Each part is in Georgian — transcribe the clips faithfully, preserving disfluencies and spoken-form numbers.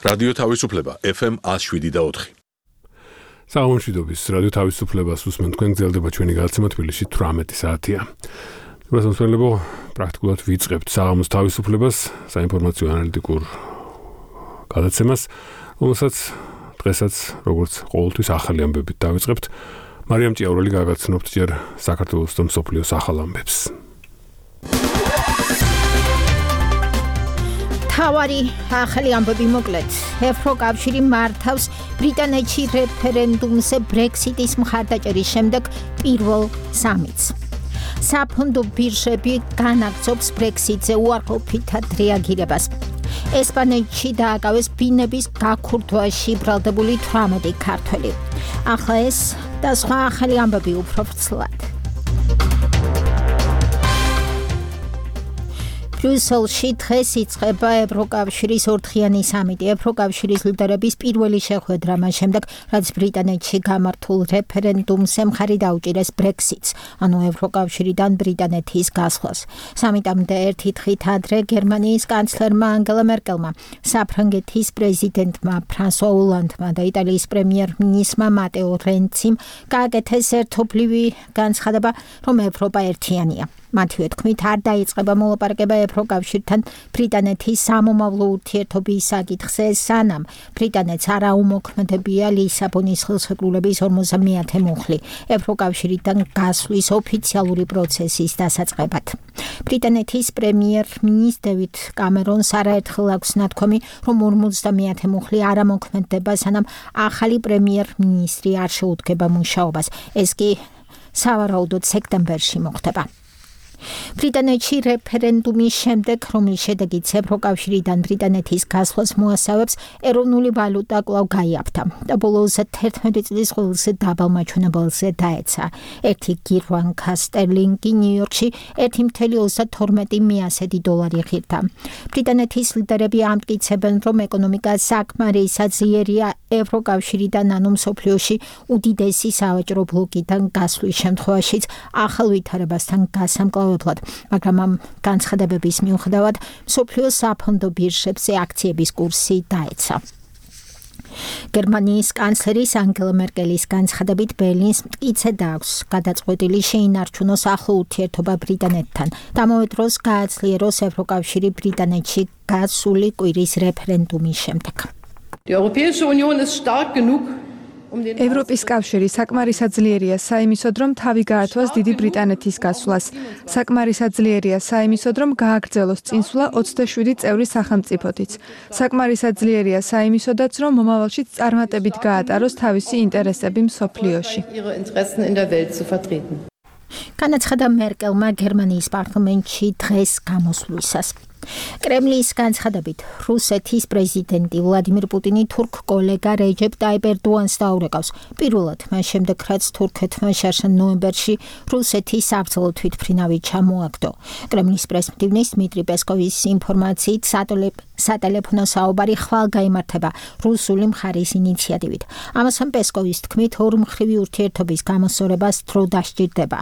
რადიო თავისუფლება ეფ ემ one oh seven და four. Საამშვიდობის რადიო თავისუფლებას უსმენთ თქვენ გრძელდება ჩვენი გადაცემა თბილისში eighteen საათია. მოსამსახურებო პრაქტიკულად ვიწყებთ საღამოს თავისუფლებას საინფორმაციო ანალიტიკურ გადაცემას, რომელსაც დღესაც როგორც ყოველთვის ახალი ამბებით დავიწყებთ. მარიამ ჭიაურელი გაგაცნობთ ჯერ საქართველოს და მსოფლიოს ახალ ამბებს. თავარი ახალი ამბები მოკლედ. ევროკავშირი მართავს ბრიტანეთში რეფერენდუმზე ბრექსიტის მხარდაჭერის შემდეგ პირველ სამიტს. საფონდო ბირჟები განაგრძობს ბრექსიტზე უარყოფითად რეაგირებას. ესპანეთში დააკავეს ბინების გაქურთვაში ბრალდებული eighteen ქართველი. ახლა ეს და სხვა ახალი ამბები უფრო ვრცლად. ბრიუსელში დღეს იწყება ევროკავშირის ორდღიანი სამიტი. ევროკავშირის ლიდერების პირველი შეხვედრა მას შემდეგ, რაც ბრიტანეთში გამართულ რეფერენდუმზე მხარი დაუჭირეს ბრექსიტს, ანუ ევროკავშირიდან ბრიტანეთის გასვლას. სამიტამდე ერთი დღით ადრე გერმანიის კანცლერმა ანგელა მერკელმა, საფრანგეთის პრეზიდენტმა ფრანსუა ოლანდმა და იტალიის პრემიერ-მინისტრმა მატეო რენციმ გააკეთეს ერთობლივი განცხადება, რომ ევროპა ერთიანია. მათივე თქმით, არ დაიწყება მოლაპარაკება ევროკავშირთან ბრიტანეთის სამომავლო ურთიერთობის საკითხზე, სანამ ბრიტანეთს არ აუმოქმედებია ლისაბონის ხელშეკრულების ორმოცდამეათე მუხლი ევროკავშირიდან გასვლის ოფიციალური პროცესის დასაწყებად. ბრიტანეთის პრემიერ-მინისტრ დევიდ კამერონს არაერთხელ აქვს ნათქვამი, რომ ორმოცდამეათე მუხლი არ ამოქმედება, სანამ ახალი პრემიერ-მინისტრი არ შეუდგება მუშაობას. ეს კი სავარაუდოდ სექტემბერში მოხდება. ბრიტანეთში რეფერენდუმის შემდეგ, რომლის შედეგით ევროკავშირიდან ბრიტანეთის გასვლას მოასწავებს, ეროვნული ვალუტა კვლავ გაიაფთა და ბოლოს თერთმეტი წლის ყველაზე დაბალ მაჩვენებელზე დაეცა. ერთი გირვანკა სტერლინგი ნიუ-იორკში one point two two მიასედი დოლარი ღირდა. ბრიტანეთის ლიდერები ამტკიცებენ, რომ ეკონომიკა საკმარისად ძლიერია ევროკავშირიდან, ანუ მსოფლიოში უდიდესი სავაჭრო ბლოკიდან გასვლის შემთხვევაშიც ახალ ვითარებასთან გასამკლავებლად. მაგრამ ამ განცხადებების მიუხედავად მსოფლიოს საფონდო ბირჟებზე აქციების კურსი დაეცა. გერმანიის კანცლერის ანგელა მერკელის განცხადებით ბერლინს მტკიცე დააქვს გადაწყვეტილი შეინარჩუნოს ახლო ურთიერთობა ბრიტანეთთან და ამავე დროს გააძლიეროს ევროკავშირი ბრიტანეთში გასული კვირის რეფერენდუმის შემდეგ. Die Europäische Union ist stark genug. ევროპის კავშირი საკმარისად ძლიერია საიმისოდ, რომ თავი გაართვას დიდი ბრიტანეთის გასვლას. საკმარისად ძლიერია საიმისოდ, რომ გააგრძელოს წინსვლა ოცდაშვიდი წევრი სახელმწიფოთიც. საკმარისად ძლიერია საიმისოდაც, რომ მომავალში წარმატებით გაატაროს თავისი ინტერესები მსოფლიოში. განაცხადა მერკელმა გერმანიის პარლამენტში დღეს გამოსვლისას. კრემლის განცხადებით, რუსეთის პრეზიდენტი ვლადიმირ პუტინი თურქ კოლეგა რეჯეპ ტაიპ ერდოანს დაურეკავს. პირველად მას შემდეგ, რაც თურქეთმა შარშან ნოემბერში რუსეთის საბრძოლო თვითმფრინავი ჩამოაგდო. კრემლის პრესმდივნის დმიტრი პესკოვის ინფორმაციით, სატელეფონო საუბარი ხვალ გაიმართება რუსული მხარის ინიციატივით. ამასთან პესკოვის თქმით, ორმხრივი ურთიერთობის გამოსწორებას დრო დასჭირდება.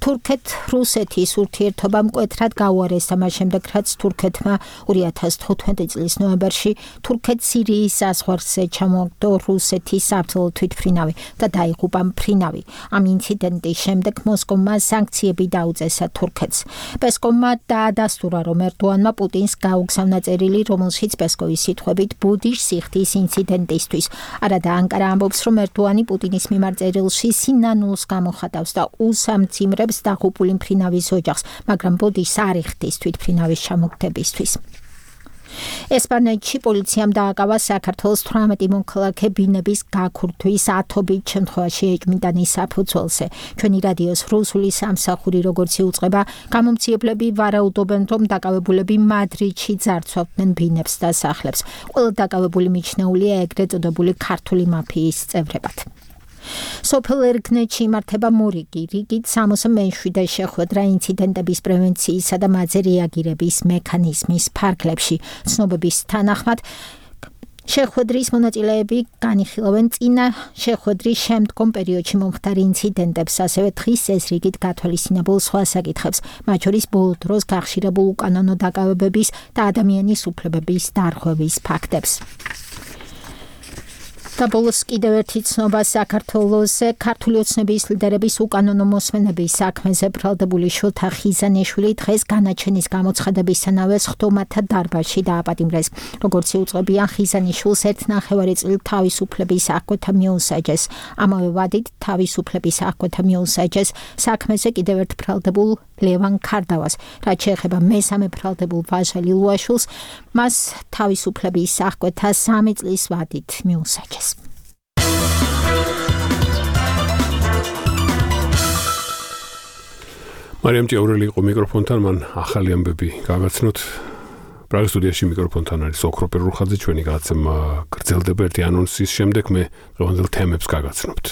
თურქეთ-რუსეთის ურთიერთობა მკვეთრად გაუარესდა მას შემდეგ, რაც თურქ თურქეთმა two thousand fifteen წლის ნოემბერში თურქეთ-სირიის საზღვარზე ჩამოაგდო რუსეთის საბრძოლო თვითმფრინავი და დაიღუპა მფრინავი. ამ ინციდენტის შემდეგ მოსკოვმა სანქციები დაუწესა თურქეთს. პესკოვმა დაადასტურა, რომ ერდოანმა პუტინს გაუგზავნა წერილი, რომელშიც პესკოვის სიტყვებით ბუდიშ სიხდის ინციდენტისთვის. არადა ანკარა ამბობს, რომ ერდოანი პუტინის მიმართ წერილში სინანულს გამოხატავს და უსამძიმრებს დაღუპული მფრინავის ოჯახს, მაგრამ ბუდიშს არ იხდის თვითმფრინავის ჩამოგდება. ესპანეთში პოლიციამ დააკავა საქართველოს eighteen მოქალაქე ბინების გაქურთვის ათობით შემთხვევაში ეჭვმიტანის საფუძველზე. ჩვენი რადიოს რუსული სამსახური როგორც იუწყება, გამომცემლები ვარაუდობენ, რომ დაკავებულები მადრიდში ძარცვავდნენ ბინებს და სახლებს. ყველა დაკავებული მიჩნეულია ეგრეთ წოდებული ქართული მაფიის წევრებად. სოფელ ერგნეთში იმართება მორიგი, რიგით სამოცდამეშვიდე შეხვედრა ინციდენტების პრევენციისა და მათზე რეაგირების მექანიზმის ფარგლებში. ცნობების თანახმად, შეხვედრის მონაწილეები განიხილავენ წინა შეხვედრის შემდგომ პერიოდში მომხდარ ინციდენტებს, ასევე დღის ეს რიგით გათვალისწინებულ სხვა საკითხებს, მათ შორის ბოლო დროს გახშირებულ უკანონო დაკავებების და ადამიანის უფლებების დარღვევის ფაქტებს. და ბოლოს კიდევ ერთი ცნობა საქართველოს ქართული ოცნების ლიდერების უკანონო მოსმენების საქმეზე ბრალდებული შოთა ხიზანიშვილი დღეს განაჩენის გამოცხადებისთანავე სხდომათა დარბაზში დააპატიმრეს. როგორც იუწყებიან, ხიზანიშვილს ერთნახევარი წლით თავისუფლების აღკვეთა მიუსაჯეს. ამავე ვადით თავისუფლების აღკვეთა მიუსაჯეს საქმეზე კიდევ ერთ ბრალდებულ ლევან ქარდავას. რაც შეეხება მესამე ბრალდებულ ვაჟა ლილუაშვილს, მას თავისუფლების აღკვეთა სამი წლის ვადით მიუსაჯეს. მარიამ ჭიაურელი იყო მიკროფონთან, მან ახალი ამბები გავაცნოთ. პრაღის სტუდიაში მიკროფონთან არის ოქრო პერურხაძე, ჩვენი გადაცემა გრძელდება ერთი ანონსის შემდეგ, მე დღევანდელ თემებს გაგაცნობთ.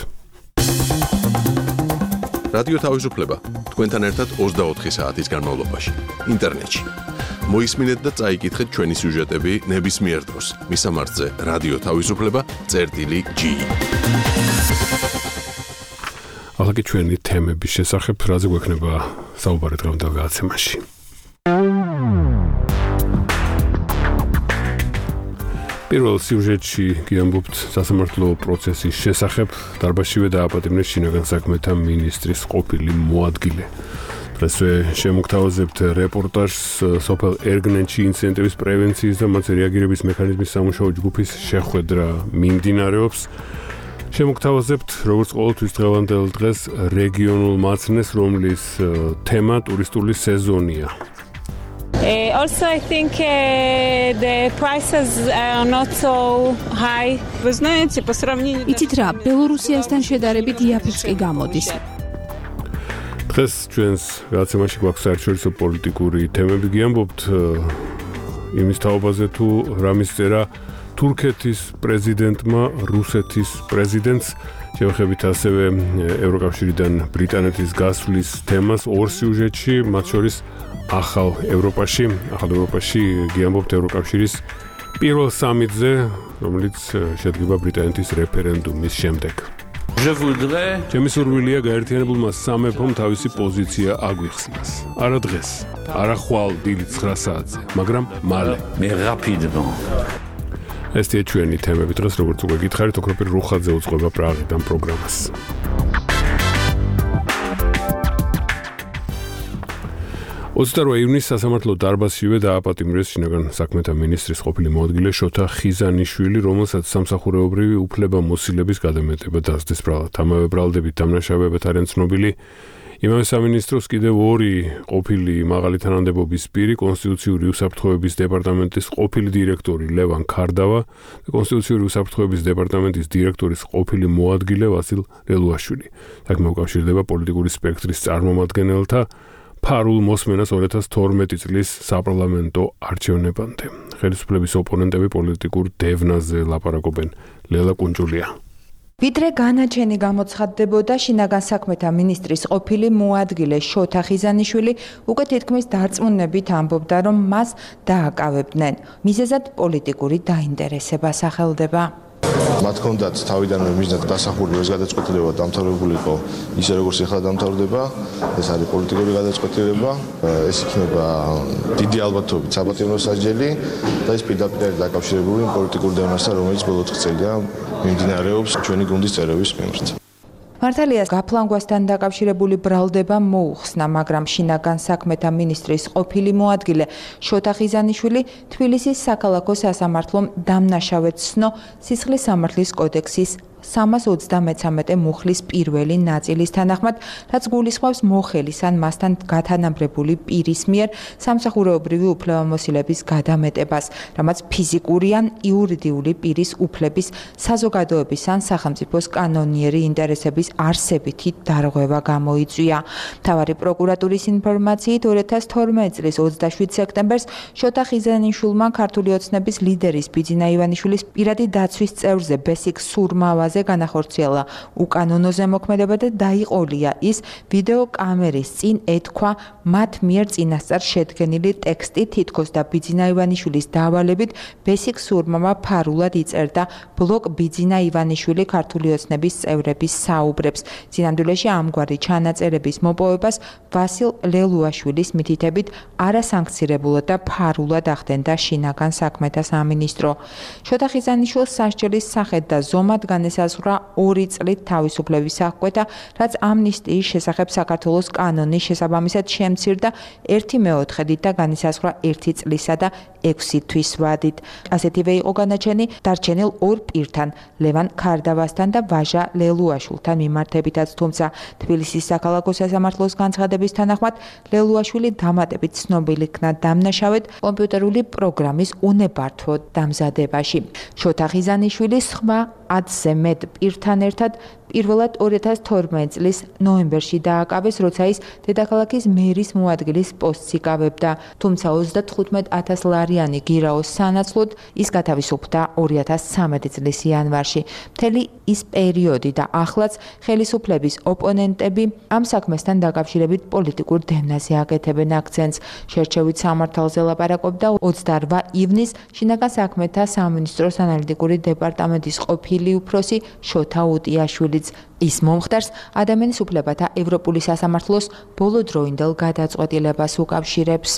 რადიო თავისუფლება თქვენთან ერთად ოცდაოთხი საათის განმავლობაში ინტერნეტში. მოისმინეთ და წაიკითხეთ ჩვენი სიუჟეტები ნებისმიერ დროს. მისამართზე რადიო თავისუფლება წერტილი ჯი. ახლა კი ჩვენი თემების შესახებ, რაზე გვექნება საუბარი დღევანდელ გადაცემაში. პირველ სიუჟეტში გიამბობთ სასამართლო პროცესის შესახებ. დარბაზშივე დააპატიმრეს შინაგან საქმეთა მინისტრის ყოფილი მოადგილე. დღესვე შემოგთავაზებთ რეპორტაჟს სოფელ ერგნენში ინციდენტების პრევენციის და მათზე რეაგირების მექანიზმის სამუშაო ჯგუფის შეხვედრა მიმდინარეობს. შემოგთავაზებთ, როგორც ყოველთვის დღევანდელ დღეს რეგიონულ მაცნეს, რომლის თემა ტურისტული სეზონია. Uh, also, I think uh, the prices are not so high. Вы знаете, по сравнению... იცით რა, ბელორუსიასთან შედარებით იაფიც კი გამოდის. დღეს ჩვენს გადაცემაში გვაქვს საერთაშორისო პოლიტიკური თემები. გიამბობთ იმის თაობაზე, თუ რა მისწერა თურქეთის პრეზიდენტმა რუსეთის პრეზიდენტს. შევეხებით ასევე ევროკავშირიდან ბრიტანეთის გასვლის თემას ორ სიუჟეტში, მათ შორის ახალ ევროპაში, ახალ ევროპაში გიამბობთ ევროკავშირის პირველ სამიტზე, რომელიც შედგება ბრიტანეთის რეფერენდუმის შემდეგ. ჩემი სურვილია გაერთიანებულმა სამეფომ თავისი პოზიცია აგვიხსნას. არა დღეს, არა ხვალ დილით ცხრა საათზე, მაგრამ მალე. ესეა ჩვენი თემები დღეს, როგორც უკვე გითხარით, ოქრო პერურხაძე უძღვება პრაღიდან პროგრამას. ოცდაოთხ ივნისს სასამართლო დარბაზშივე დააპატიმრეს შინაგან საქმეთა მინისტრის ყოფილი მოადგილე შოთა ხიზანიშვილი, რომელსაც სამსახურეობრივი უფლებამოსილების გადამეტება დასდეს ბრალად. ამავე ბრალდებით დამნაშავეებად არიან ცნობილი იმავე სამინისტროს კიდევ ორი ყოფილი მაღალი თანამდებობის პირი, კონსტიტუციური უსაფრთხოების დეპარტამენტის ყოფილი დირექტორი ლევან ქარდავა და კონსტიტუციური უსაფრთხოების დეპარტამენტის დირექტორის ყოფილი მოადგილე ვასილ ლელუაშვილი. საქმე უკავშირდება პოლიტიკური სპექტრის წარმომადგენელთა ფარულ მოსმენას ორი ათას თორმეტი წლის საპარლამენტო არჩევნებამდე. ხელისუფლების ოპონენტები პოლიტიკურ დევნაზე ლაპარაკობენ. ლელა კუნჯულია. ვიდრე განაჩენი გამოცხადდებოდა შინაგან საქმეთა მინისტრის ყოფილი მოადგილე შოთა ხიზანიშვილი უკვე თითქმის დარწმუნებით ამბობდა, რომ მას დააკავებდნენ. მიზეზად პოლიტიკური დაინტერესება სახელდება. მათ ჰქონდათ თავიდანვე მიზნად დასახული ეს გადაწყვეტილება დამთავრებულიყო ისე როგორც ახლა დამთავრდება, ეს არის პოლიტიკური გადაწყვეტილება, ეს იქნება დიდი ალბათობით საპატიმრო სასჯელი და ეს პირდაპირ არის დაკავშირებული პოლიტიკურ დევნასთან, რომელიც ბოლო ოთხ წელია მიმდინარეობს ჩვენი გუნდის წევრების მიმართ. მართალია გაფლანგვასთან დაკავშირებული ბრალდება მოუხსნა, მაგრამ შინაგან საქმეთა მინისტრის ყოფილი მოადგილე შოთა ხიზანიშვილი თბილისის საქალაქო სასამართლომ დამნაშავედ ცნო სისხლის სამართლის კოდექსის სამას ოცდამეცამეტე მუხლის პირველი ნაწილის თანახმად, რაც გულისხმობს მოხელის ან მასთან გათანაბრებული პირის მიერ სამსახურეობრივი უფლებამოსილების გადამეტებას, რამაც ფიზიკური ან იურიდიული პირის უფლების, საზოგადოების ან სახელმწიფოს კანონიერი ინტერესების არსებითი დარღვევა გამოიწვია. მთავარი პროკურატურის ინფორმაციით ორი ათას თორმეტი წლის ოცდაშვიდ სექტემბერს შოთა ხიზანიშვილმა ქართული ოცნების ლიდერის ბიძინა ივანიშვილის პირადი დაცვის წევრზე ბესიკ სურმავაზე საშუალებაზე განახორციელა უკანონო ზემოქმედება და დაიყოლია ის ვიდეო კამერის წინ ეთქვა მათ მიერ წინასწარ შედგენილი ტექსტი თითქოს და ბიძინა ივანიშვილის დავალებით ბესიკ სურმამა ფარულად იწერდა ბლოგ ბიძინა ივანიშვილი ქართული ოცნების წევრების საუბრებს. წინანდვილეში ამგვარი ჩანაწერების მოპოვებას ვასილ ლელუაშვილის მითითებით არასანქცირებულად და ფარულად ახდენდა შინაგან საქმეთა სამინისტრო. შოთა ხიზანიშვილს სასჯელის სახედ და ზომად განესაზღვრა ორი წლით თავისუფლების აღკვეთა, რაც ამნისტიის შესახებ საქართველოს კანონის შესაბამისად შემცირდა ერთი მეოთხედით და განისაზღვრა ერთი წლისა და ექვსი თვის ვადით. ასეთივე იყო განაჩენი დარჩენილ ორ პირთან, ლევან ქარდავასთან და ვაჟა ლელუაშვილთან მიმართებითაც, თუმცა თბილისის საქალაქო სასამართლოს განცხადების თანახმად ლელუაშვილი დამატებით ცნობილი იქნა დამნაშავედ კომპიუტერული პროგრამის უნებართვო დამზადებაში. შოთა ხიზანიშვილის სხვა ათზე მეტ პირთან ერთად პირველად ორი ათას თორმეტი წლის ნოემბერში დააკავეს, როცა ის დედაქალაქის მერის მოადგილის პოსტს იკავებდა. თუმცა ოცდათხუთმეტ ათას ლარიანი გირაოს სანაცვლოდ ის გათავისუფლდა ორი ათას ცხრამეტი წლის იანვარში. მთელი ის პერიოდი და ახლაც ხელისუფლების ოპონენტები ამ საქმესთან დაკავშირებით პოლიტიკურ დევნაზე აკეთებენ აქცენტს. შერჩევით სამართალზე ლაპარაკობდა ოცდაორმა ივნისს შინაგან საქმეთა სამინისტროს ანალიტიკური დეპარტამენტის ყოფილი უფროსი შოთა უტიაშვილიც. ის მომხდარს ადამიანის უფლებათა ევროპული სასამართლოს ბოლოდროინდელ გადაწყვეტილებას უკავშირებს.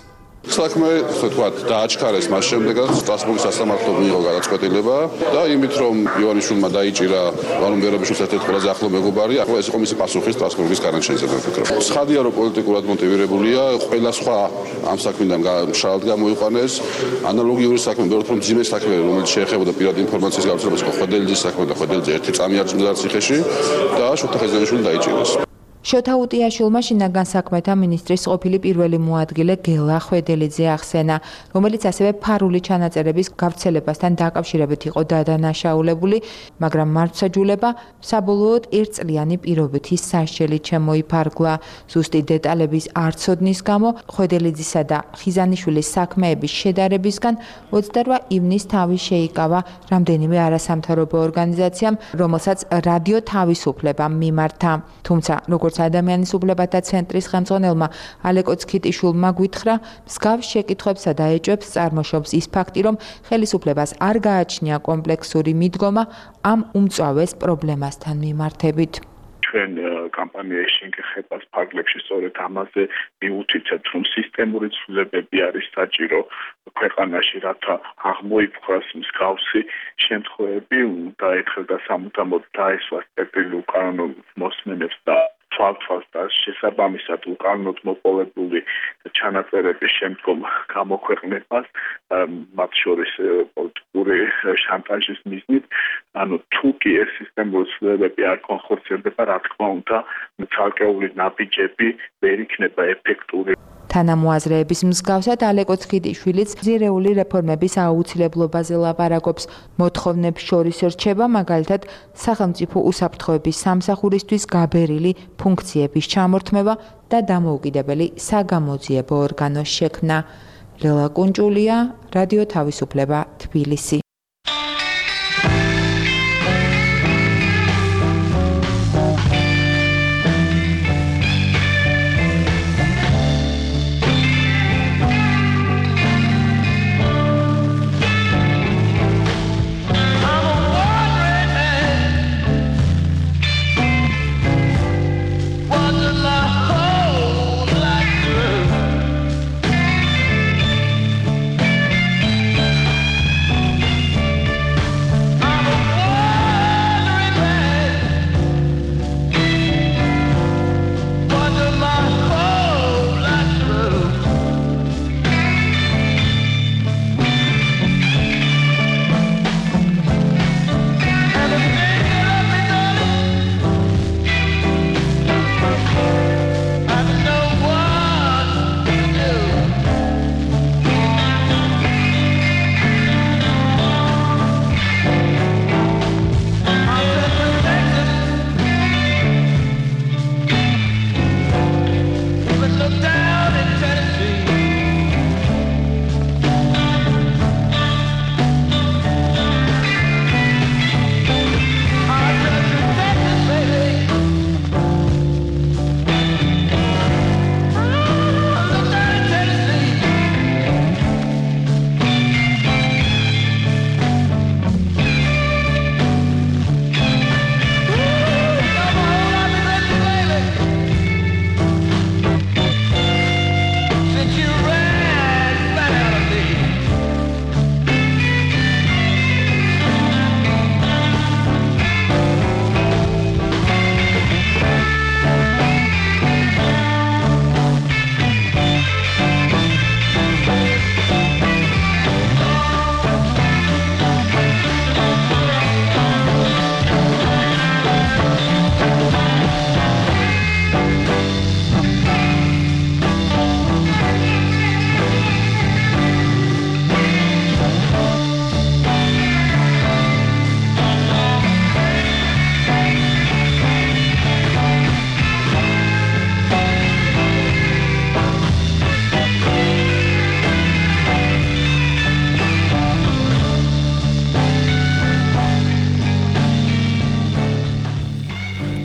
საქმე, ასე ვთქვათ, დააჩქარეს მას შემდეგაც სტრასბურგის სასამართლო მიიღო გადაწყვეტილება და იმით რომ ივანიშვილმა დაიჭირა ვანო მერაბიშვილს ერთ-ერთი ყველაზე ახლო მეგობარი, ახლა ეს იყო მისი პასუხი სტრასბურგის განაჩენზე ვფიქრობ. ცხადია რომ პოლიტიკურად მოტივირებულია, ყველა სხვა ამ საქმიდან მშრალად გამოიყვანეს, ანალოგიური საქმე, ბევრად რომ ძიმე საქმე, რომელიც შეეხებოდა პირად ინფორმაციის გავრცელებას, იყო ხვედელიძის საქმე და ხვედელიძე ერთი წამი არ წმიდა ციხეში და შოთა ხიზანიშვილი დაიჭირეს. შოთა უტიაშვილმა შინაგან საქმეთა მინისტრის ყოფილი პირველი მოადგილე გელა ხვედელიძე ახსენა, რომელიც ასევე ფარული ჩანაწერების გავრცელებასთან დაკავშირებით იყო დადანაშაულებული, მაგრამ მართლმსაჯულება საბოლოოდ ერთწლიანი პირობითი სასჯელით შემოიფარგლა. ზუსტი დეტალების არცოდნის გამო ხვედელიძისა და ხიზანიშვილის საქმეების შედარებისგან ოცდაორმა ივნისს თავი შეიკავა რამდენიმე არასამთავრობო ორგანიზაციამ, რომელსაც რადიო თავისუფლება მიმართა. თუმცა როგორც ადამიანის უფლებათა ცენტრის ხელმძღვანელმა ალეკო ცქიტიშვილმა გვითხრა, მსგავს შეკითხვებსა და ეჭვებს წარმოშობს ის ფაქტი, რომ ხელისუფლებას არ გააჩნია კომპლექსური მიდგომა ამ უმწვავეს პრობლემასთან მიმართებით. ჩვენ კამპანიაში შეგეხებას ფარგლებში სწორედ ამაზე მიუთითებთ, რომ სისტემური ცვლილებები არის საჭირო ქვეყანაში, რათა აღმოიფხვრას მსგავსი შემთხვევები და ეთქვა სამუდამოდ დაესვას წერტილი უკანონო მოსმენებს და თვალთვალს და შესაბამისად უკანონოდ მოპოვებული ჩანაწერების შემდგომ გამოქვეყნებას, მათ შორის პოლიტიკური შანტაჟის მიზნით, ანუ თუ კი ეს სისტემური ცვლილებები არ კონხორციელდება, რა თქმა უნდა, ცალკეული ნაბიჯები ვერ იქნება ეფექტური. თანამოაზრეების მსგავსად ალეკო ცქიტიშვილიც ძირეული რეფორმების აუცილებლობაზე ლაპარაკობს. მოთხოვნებს შორის რჩება მაგალითად სახელმწიფო უსაფრთხოების სამსახურისთვის გაბერილი ფუნქციების ჩამორთმევა და დამოუკიდებელი საგამოძიებო ორგანოს შექმნა. ლელა კუნჭულია, რადიო თავისუფლება, თბილისი.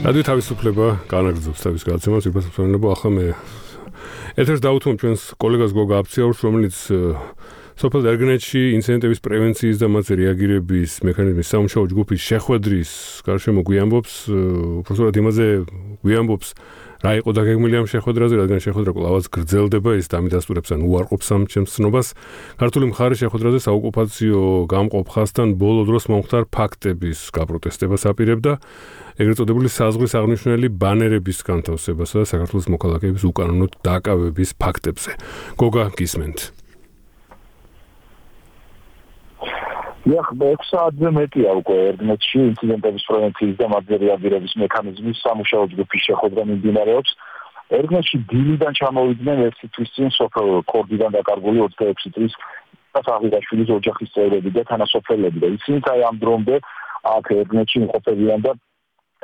რადიო თავისუფლება განაგრძობს თავის გადაცემას, ვიფასებსონებო ახლა მე ეთერს დავუთმობ ჩვენს კოლეგას გოგა აფციაურს, რომელიც სოფელ ერგნეთში ინციდენტების პრევენციის და მათზე რეაგირების მექანიზმის სამუშაო ჯგუფის შეხვედრის გარშემო გვიამბობს, უბრალოდ იმაზე გვიამბობს, რა იყო დაგეგმილი ამ შეხვედრაზე, რადგან შეხვედრა კვლავაც გრძელდება, ის დამიდასტურებს ან უარყოფს ამ ჩემს ცნობას. ქართული მხარე შეხვედრაზე საოკუპაციო გამყოფ ხაზთან ბოლო დროს მომხდარ ფაქტების გაპროტესტებას აპირებდა, ეგრეთ წოდებული საზღვრის აღნიშნული ბანერების განთავსებასა და საქართველოს მოქალაქეების უკანონოდ დაკავების ფაქტებზე. გოგა, გისმენთ. Ja, ექვსი საათზე მეტია უკვე ერგნეთში ინციდენტების პრევენციის და მათზე რეაგირების მექანიზმის სამუშაო ჯგუფის შეხვედრა მიმდინარეობს. ერგნეთში დილიდან ჩამოვიდნენ ერთი თვის წინ სოფელ ქორდიდან დაკარგული ოცდაექვსი წლის საღირაშვილის ოჯახის წევრები და თანასოფლელები და ისინი აი ამ დრომდე აქ ერგნეთში იმყოფებიან და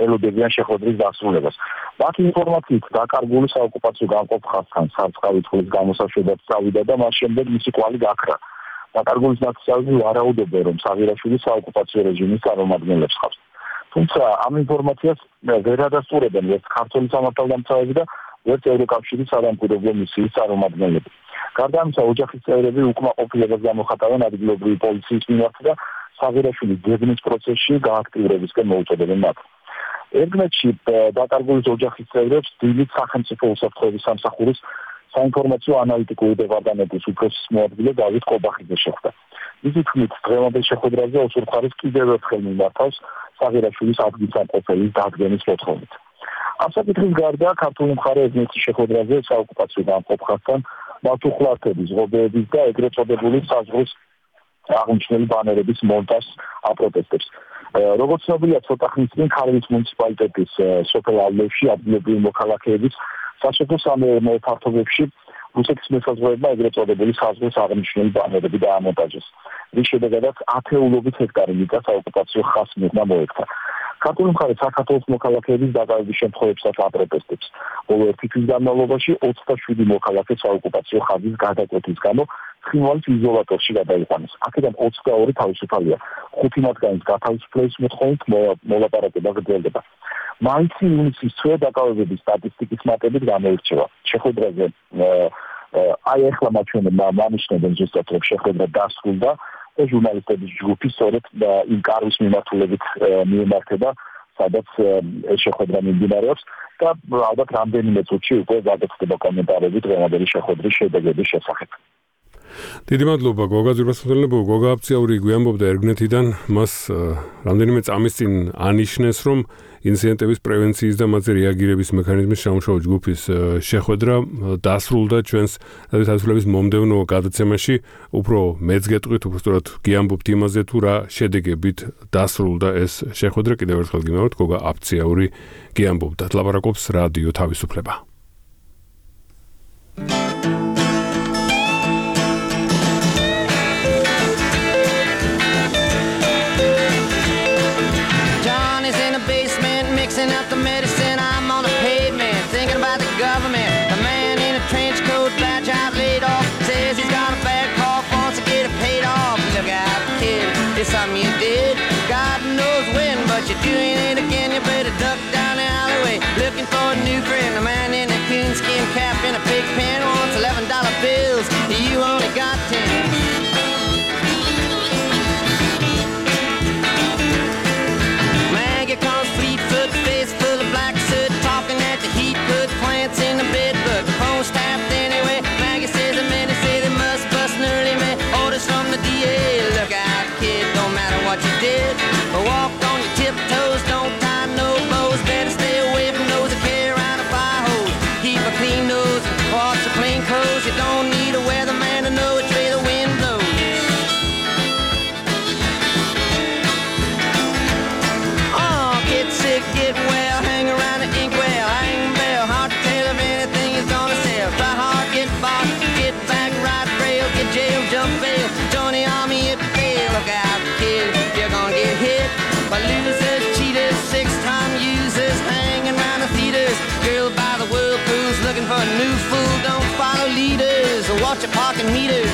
ელოდებიან შეხვედრის დასრულებას. მათი ინფორმაციით დაკარგული საოკუპაციო გამყოფ ხაზთან სარწყავი წყლის გამოსაშვებად წავიდა და მას შემდეგ მისი კვალი გაქრა. დაკარგულის ნაცვლად ვარაუდობენ, რომ საღირაშვილი საოკუპაციო რეჟიმის წარმომადგენლებს ხავს. თუმცა ამ ინფორმაციას ვერ ადასტურებენ ერთ ქართული სამართალდამცავები და ერთ ევროკავშირის სამამკვიდრეობო მისიის წარმომადგენლები. გარდა ამისა, ოჯახის წევრები უკმაყოფილებას გამოხატავენ ადგილობრივი პოლიციის მიმართ და საღირაშვილის ძებნის პროცესში გააქტიურებისკენ მოუწოდებენ მათ. ერგნეთში დაკარგულის ოჯახის წევრებს დილით სახელმწიფო უსაფრთხოების სამსახურის საინფორმაციო ანალიტიკური დეპარტამენტის უფროსის მოადგილე დავით ყობახიძე შეხვდა. მისი თქმით, დღევანდელ შეხვედრაზე ოსურ მხარეს კიდევ ერთხელ მიმართავს საღირაშვილის ადგილსამყოფელის დადგენის მოთხოვნით. ამ საკითხის გარდა ქართული მხარე ერგნეთის შეხვედრაზე საოკუპაციო გამყოფ ხაზთან მართლმსაჯულების ღობეების და ეგრეთ წოდებული საზღვრის აღნიშნული ბანერების მონტაჟს აპროტესტებს. როგორც ცნობილია, ცოტა ხნის წინ ქარვის მუნიციპალიტეტის სოფელ ალეში ადგილობრივი მოქალაქეების სასოფლო სამეურნეო ფართობებში რუსეთის მესაზღვრეებმა ეგრეთ წოდებული საზღვრის აღნიშნული ბანერები დაამონტაჟეს, რის შედეგადაც ათეულობით ჰექტარი მიწა საოკუპაციო ხაზს მიღმა მოექცა. ქართული მხარე საქართველოს მოქალაქეების დაკავების შემთხვევებსაც აპროტესტებს. ბოლო ერთი თვის განმავლობაში ოცდაშვიდი მოქალაქე საოკუპაციო ხაზის გადაკვეთის გამო ცხინვალის იზოლატორში გადაიყვანეს. აქედან ოცდაორი თავისუფალია. ხუთი მათგანის გათავისუფლების მოთხოვნით მოლაპარაკება გრძელდება. მაისი ივნისის თვე დაკავებების სტატისტიკის მატებით გამოირჩევა. შეხვედრაზე აი ახლა მათ ჩვენ მანიშნებენ ზუსტად რომ შეხვედრა დასრულდა და ჟურნალისტების ჯგუფი სწორედ იმ კარვის მიმართულებით მიემართება, სადაც ეს შეხვედრა მიმდინარეობს და ალბათ რამდენიმე წუთში უკვე გადაწყდება კომენტარები დღევანდელი შეხვედრის შედეგების შესახებ. დიდი მადლობა გოგა ძირფასმოწმელებო. გოგა აფციაური გვიამბობდა ერგნეთიდან, მას რამდენიმე წამის წინ ანიშნეს, რომ ინციდენტების პრევენციის და მათზე რეაგირების მექანიზმის სამუშაო ჯგუფის შეხვედრა დასრულდა ჩვენს თავისუფლების მომდევნო გადაცემაში. უფრო მეც გეტყვით, უბრალოდ გიამბობთ იმაზე, თუ რა შედეგებით დასრულდა ეს შეხვედრა. კიდევ ერთხელ გიმეორებთ, გოგა აფციაური გიამბობდა. ლაპარაკობს რადიო თავისუფლება. Up the medicine, I'm on the pavement, thinking about the government. The man in a trench coat, bad job laid off, says he's got a bad cough, wants to get it paid off. Look out, kid, it's something you did. God knows when, but you're doing it again. You better duck down the alleyway, looking for a new friend. The man in a coonskin cap and a pig pen wants eleven dollar bills. You only got ten. Maggie comes Fleetfoot, face full of black soot, talking at the heat, put plants in the bed, but the phone's tapped anyway. Maggie says the men say they must bust an early man. Orders from the D A, look out kid, don't matter what you did. Walk on your tiptoes, don't tie no bows, better stay away from those that carry around a fire hose. Keep a clean nose, wash your plain clothes, you don't need a weatherman to know which way the wind blows. Sick, get well, hang around the inkwell, hang bell, hard to tell if anything is gonna sell. Try hard, get bought, get back, ride rail, get jail, jump bail, join the army if you fail. Look out, kid, you're gonna get hit by losers, cheaters, six-time users, hanging around the theaters. Girl by the whirlpools, looking for a new fool, don't follow leaders, or watch your parking meters.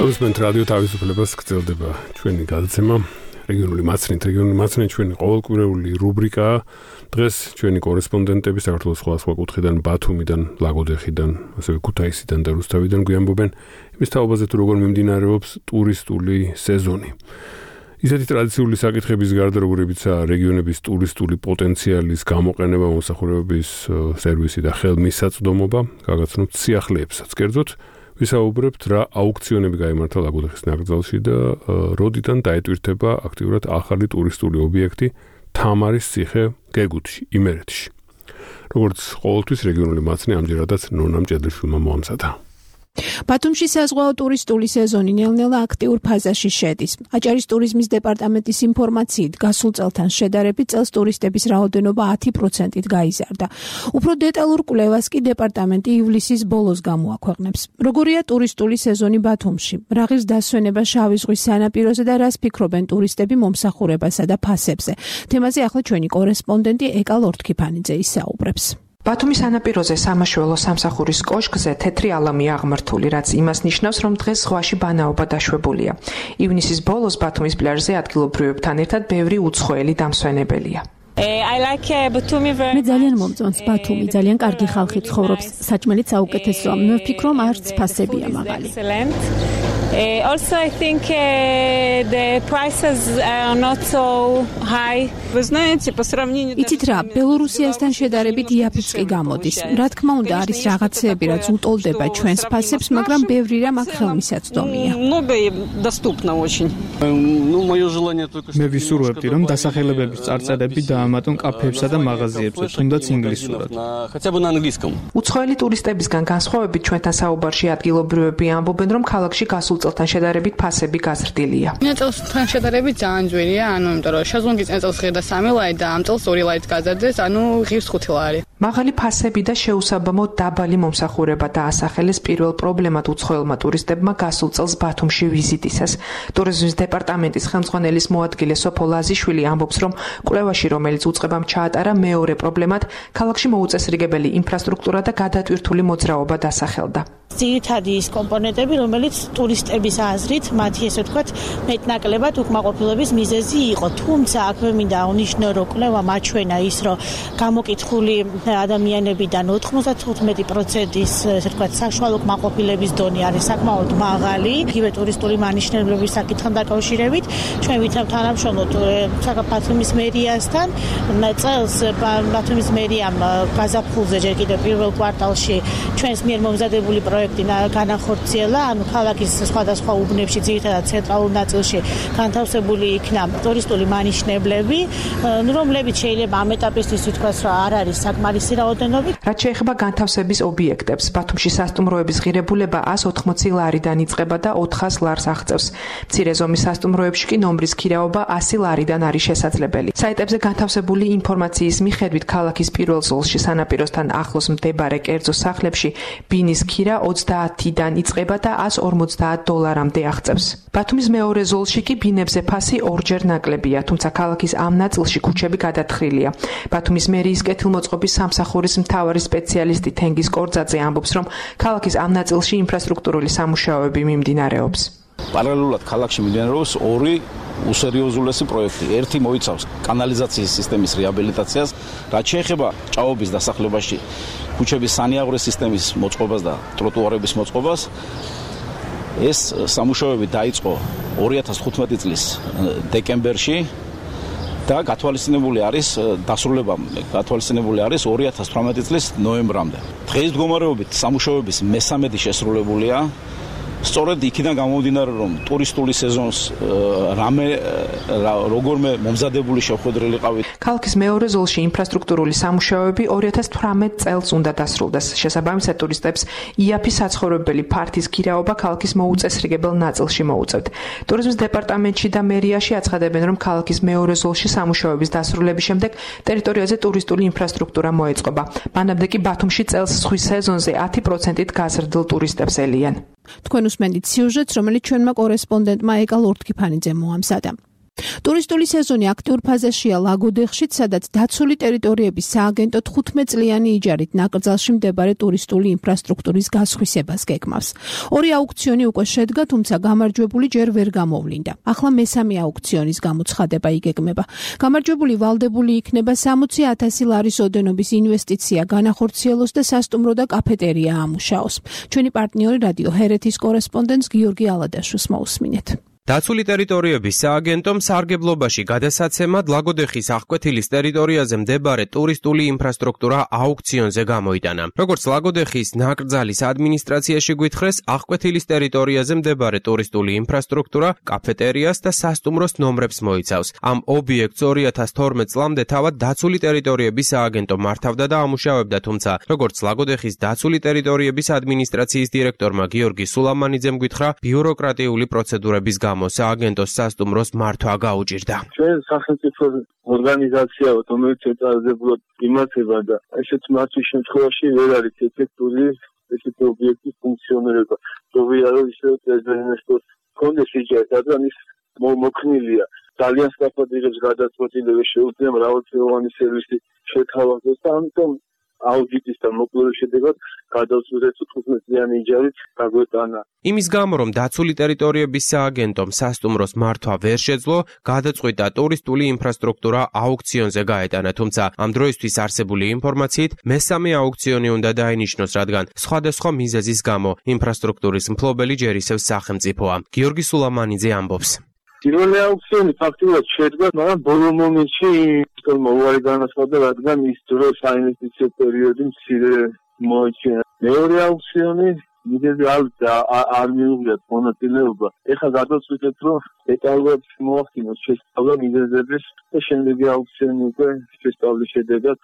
Ausment Radio თავისუფლებას გრძელდება ჩვენი გადაცემა რეგიონული მაცნით რეგიონული მაცნით ჩვენი ყოველკვირეული რუბრიკაა. დღეს ჩვენი კორესპონდენტები საქართველოს სხვადასხვა კუთხიდან, ბათუმიდან, ლაგოდეხიდან, ასევე ქუთაისიდან და რუსთავიდან გვიამბობენ იმის თაობაზე თუ როგორ მიმდინარეობს ტურისტული სეზონი. ისეთი ტრადიციული საკითხების გარდა, როგორებიცაა რეგიონების ტურისტული პოტენციალის გამოყენება, მომსახურებების სერვისი და ხელმისაწვდომობა, გაგაცნობთ სიახლეებსაც. კერძოდ ვისაუბრებთ რა აუქციონები გაიმართა ლაგოდეხის ნაკრძალში და როდიდან დაეტვირთება აქტიურად ახალი ტურისტული ობიექტი თამარის ციხე გეგუთში, იმერეთში. როგორც ყოველთვის რეგიონული მაცნე ამჯერადაც ნონა მჭედლიშვილმა მოამზადა. ბათუმში საზღვაო ტურისტული სეზონი ნელ-ნელა აქტიურ ფაზაში შედის. აჭარის ტურიზმის დეპარტამენტის ინფორმაციით, გასულ წელთან შედარებით წელს ტურისტების რაოდენობა ათი პროცენტით გაიზარდა. უფრო დეტალურ კვლევას კი დეპარტამენტი ივლისის ბოლოს გამოაქვეყნებს. როგორია ტურისტული სეზონი ბათუმში? რა ღირს დასვენება შავი ზღვის სანაპიროზე და რას ფიქრობენ ტურისტები მომსახურებასა და ფასებზე? თემაზე ახლა ჩვენი კორესპონდენტი ეკა ლორთქიფანიძე ისაუბრებს. ბათუმის სანაპიროზე სამაშველო სამსახურის კოშკზე თეთრი ალამი აღმართული, რაც იმას ნიშნავს, რომ დღეს ზღვაში ბანაობა დაშვებულია. ივნისის ბოლოს ბათუმის პლაჟზე ადგილობრივებთან ერთად ბევრი უცხოელი დამსვენებელია. მე ძალიან მომწონს ბათუმი, ძალიან კარგი ხალხი ცხოვრობს, საჭმელიც საუკეთესოა. მე ვფიქრობ, არც ფასებია მაღალი. Uh, also, I think uh, the prices are not so high. Вы знаете, по сравнению... იცით რა, ბელორუსიასთან შედარებით იაფიც კი გამოდის. რა თქმა უნდა, არის რაღაცეები, რაც უტოლდება ჩვენს ფასებს, მაგრამ ბევრი რამ აქ ხელმისაწვდომია. Многое доступно очень. Ну, моё желание только что... მე ვისურვებდი, რომ დასახელებების წარწერები დაამატონ კაფეებსა და მაღაზიებზე, თუნდაც ინგლისურად. Хотя бы на английском. უცხოელი ტურისტებისგან განსხვავებით ჩვენთან საუბარში ადგილობრივები ამბობენ, რომ ქალაქში გასულ წელთან შედარებით ფასები გაზრდილია. მე წელთან შედარებით ძალიან ძვირია, ანუ იმიტომ რომ შეზლონგი წელს ღირდა სამი ლარი და ამ წელს ორი ლარით გაზარდეს, ანუ ღირს ხუთი ლარი. მაღალი ფასები და შეუსაბამოდ დაბალი მომსახურება დაასახელეს პირველ პრობლემად უცხოელმა ტურისტებმა გასულ წელს ბათუმში ვიზიტისას. ტურიზმის დეპარტამენტის ხელმძღვანელის მოადგილე სოფო ლაზიშვილი ამბობს, რომ კვლევაში, რომელიც უწყებამ ჩაატარა, მეორე პრობლემად ქალაქში მოუწესრიგებელი ინფრასტრუქტურა და გადატვირთული მოძრაობა დასახელდა. ძირითადი ის კომპონენტები, რომელიც ტურისტების აზრით, მათი ესე ვთქვათ, მეტნაკლებად უკმაყოფილების მიზეზი იყო. თუმცა აქვე მინდა აღნიშნო, რომ კვლევა მაჩვენა ის, რომ გამოკითხული ადამიანებიდან ოთხმოცდათხუთმეტი პროცენტის ესე ვთქვათ, საშუალო უკმაყოფილების დონე არის საკმაოდ მაღალი. იგივე ტურისტული მანიშნებლების საკითხთან დაკავშირებით, ჩვენ ვითარებთ თანამშრომლობთ საქართველოს მერიასთან. წელს ბათუმის მერიამ გაზაფხულზე ჯერ კიდევ პირველ კვარტალში ჩვენს მიერ მომზადებული პროექტი განახორციელა, ანუ ქალაქის სხვადასხვა უბნებში, ძირითადად ცენტრალურ ნაწილში განთავსებული იქნა ტურისტული მანიშნებლები, რომლებიც შეიძლება ამ ეტაპისთვის ვთქვას, რომ არ არის საკმარისი რაოდენობით. რაც შეეხება განთავსების ობიექტებს, ბათუმში სასტუმროების ღირებულება ას ოთხმოცი ლარიდან იწყება და ოთხას ლარს აღწევს. მცირე ზომის სასტუმროებში კი ნომრის ქირაობა ასი ლარიდან არის შესაძლებელი. საიტებზე განთავსებული ინფორმაციის მიხედვით, ქალაქის პირველ ზოლში სანაპიროსთან ახლოს მდებარე კერძო სახლებში ბინის ქირა ოცდაათიდან იწყება და ას ორმოცდაათ დოლარამდე აღწევს. ბათუმის მეორე ზოლში კი ბინებზე ფასი ორჯერ ნაკლებია, თუმცა ქალაქის ამ ნაწილში ქუჩები გადათხრილია. ბათუმის მერიის კეთილმოწყობის სამსახურის მთავარი სპეციალისტი თენგიზ კორძაძე ამბობს, რომ ქალაქის ამ ნაწილში ინფრასტრუქტურული სამუშაოები მიმდინარეობს. პარალელურად ქალაქში მიმდინარეობს ორი უსერიოზულესი პროექტი. ერთი მოიცავს კანალიზაციის სისტემის რეაბილიტაციას, რაც შეეხება ჭაობის დასახლებაში ქუჩების სანიაღვრე სისტემის მოწყობას და ტროტუარების მოწყობას. ეს სამუშაოები დაიწყო ორი ათას თხუთმეტი წლის დეკემბერში და გათვალისწინებული არის დასრულება გათვალისწინებული არის ორი ათას თვრამეტი წლის ნოემბრამდე. დღეს მდგომარეობით სამუშაოების მესამედი შესრულებულია. სწორედ იქიდან გამომდინარე, რომ ტურისტული სეზონს რამე როგორმე მომზადებული შეხვედრილი ყავით. ქალაქის მეორე ზოლში ინფრასტრუქტურული სამუშაოები ორი ათას თვრამეტ წელს უნდა დასრულდეს. შესაბამისად ტურისტებს იაფი საცხოვრებელი ფართის ქირაობა ქალაქის მოუწესრიგებელ ნაწილში მოუწევთ. ტურიზმის დეპარტამენტში და მერიაში აცხადებენ, რომ ქალაქის მეორე ზოლში სამუშაოების დასრულების შემდეგ ტერიტორიაზე ტურისტული ინფრასტრუქტურა მოეწყობა. მანამდე კი ბათუმში წელს ზღვის სეზონზე ათი პროცენტით გაზრდილ ტურისტებს ელიან. თქვენ უსმენთ სიუჟეტს, რომელიც ჩვენმა კორესპონდენტმა ეკა ლორთქიფანიძემ მოამზადა. ტურისტული სეზონი აქტიურ ფაზაშია ლაგოდეხშიც, სადაც დაცული ტერიტორიების სააგენტო თხუთმეტ წლიანი იჯარით ნაკრძალში მდებარე ტურისტული ინფრასტრუქტურის გასხვისებას გეგმავს. ორი აუქციონი უკვე შედგა, თუმცა გამარჯვებული ჯერ ვერ გამოვლინდა. ახლა მესამე აუქციონის გამოცხადება იგეგმება. გამარჯვებული ვალდებული იქნება სამოცი ათასი ლარის ოდენობის ინვესტიცია განახორციელოს და სასტუმრო და კაფეტერია ამუშაოს. ჩვენი პარტნიორი რადიო ჰერეთის კორესპონდენტს გიორგი ალადაშვილს მოусმინეთ. დაცული ტერიტორიების სააგენტომ სარგებლობაში გადასაცემად ლაგოდეხის აღკვეთილის ტერიტორიაზე მდებარე ტურისტული ინფრასტრუქტურა აუქციონზე გამოიტანა. როგორც ლაგოდეხის ნაკრძალის ადმინისტრაციაში გვითხრეს, აღკვეთილის ტერიტორიაზე მდებარე ტურისტული ინფრასტრუქტურა კაფეტერიას და სასტუმროს ნომრებს მოიცავს. ამ ობიექტს ორი ათას თორმეტ წლამდე თავად დაცული ტერიტორიების სააგენტო მართავდა და ამუშავებდა, თუმცა როგორც ლაგოდეხის დაცული ტერიტორიების ადმინისტრაციის დირექტორმა გიორგი სულამანიძემ გითხრა, ბიუროკრატიული პროცედურების გამო სააგენტოს სასტუმროს მართვა გაუჭირდა. ჩვენ სახელმწიფო ორგანიზაცია, რომელიც ეწარებულად იმართება და ესეც მართვის შემთხვევაში ვერ არის ეფექტური ესეთი ობიექტის ფუნქციონირება. თუმცა რომ ისე პრეზიდენტოს კონდეს იჯერა, რადგან ის მოქნილია. ძალიან სწრაფად იღებს გადაწყვეტილებას, შეუძლია მრავალწლოვანი სერვისი შეთავაზოს და ამიტომ აუდიტის და მოკვლევის შედეგად გადავწყვეტეთ თხუთმეტ წლიანი იჯარით გაგვეტანა. იმის გამო, რომ დაცული ტერიტორიების სააგენტომ სასტუმროს მართვა ვერ შეძლო, გადაწყვიტა ტურისტული ინფრასტრუქტურა აუქციონზე გაეტანა, თუმცა ამ დროისთვის არსებული ინფორმაციით მესამე აუქციონი უნდა დაინიშნოს, რადგან სხვადასხვა მიზეზის გამო ინფრასტრუქტურის მფლობელი ჯერ ისევ სახელმწიფოა. გიორგი სულამანიძე ამბობს. პირველი აუქციონი ფაქტობრივად შედგა, მაგრამ ბოლო მომენტში თორემ უარი განაცხადა, რადგან ის დრო საინვესტიციო პერიოდი მცირე მოიჩინა. მეორე აუქციონი მიზეზი არ მიუღიათ მონაწილეობა. ეხლა გადავწყვიტეთ, რომ დეტალურად მოახდინოს შესწავლა მიზეზების და შემდეგი აუქციონი უკვე შესწავლის შედეგად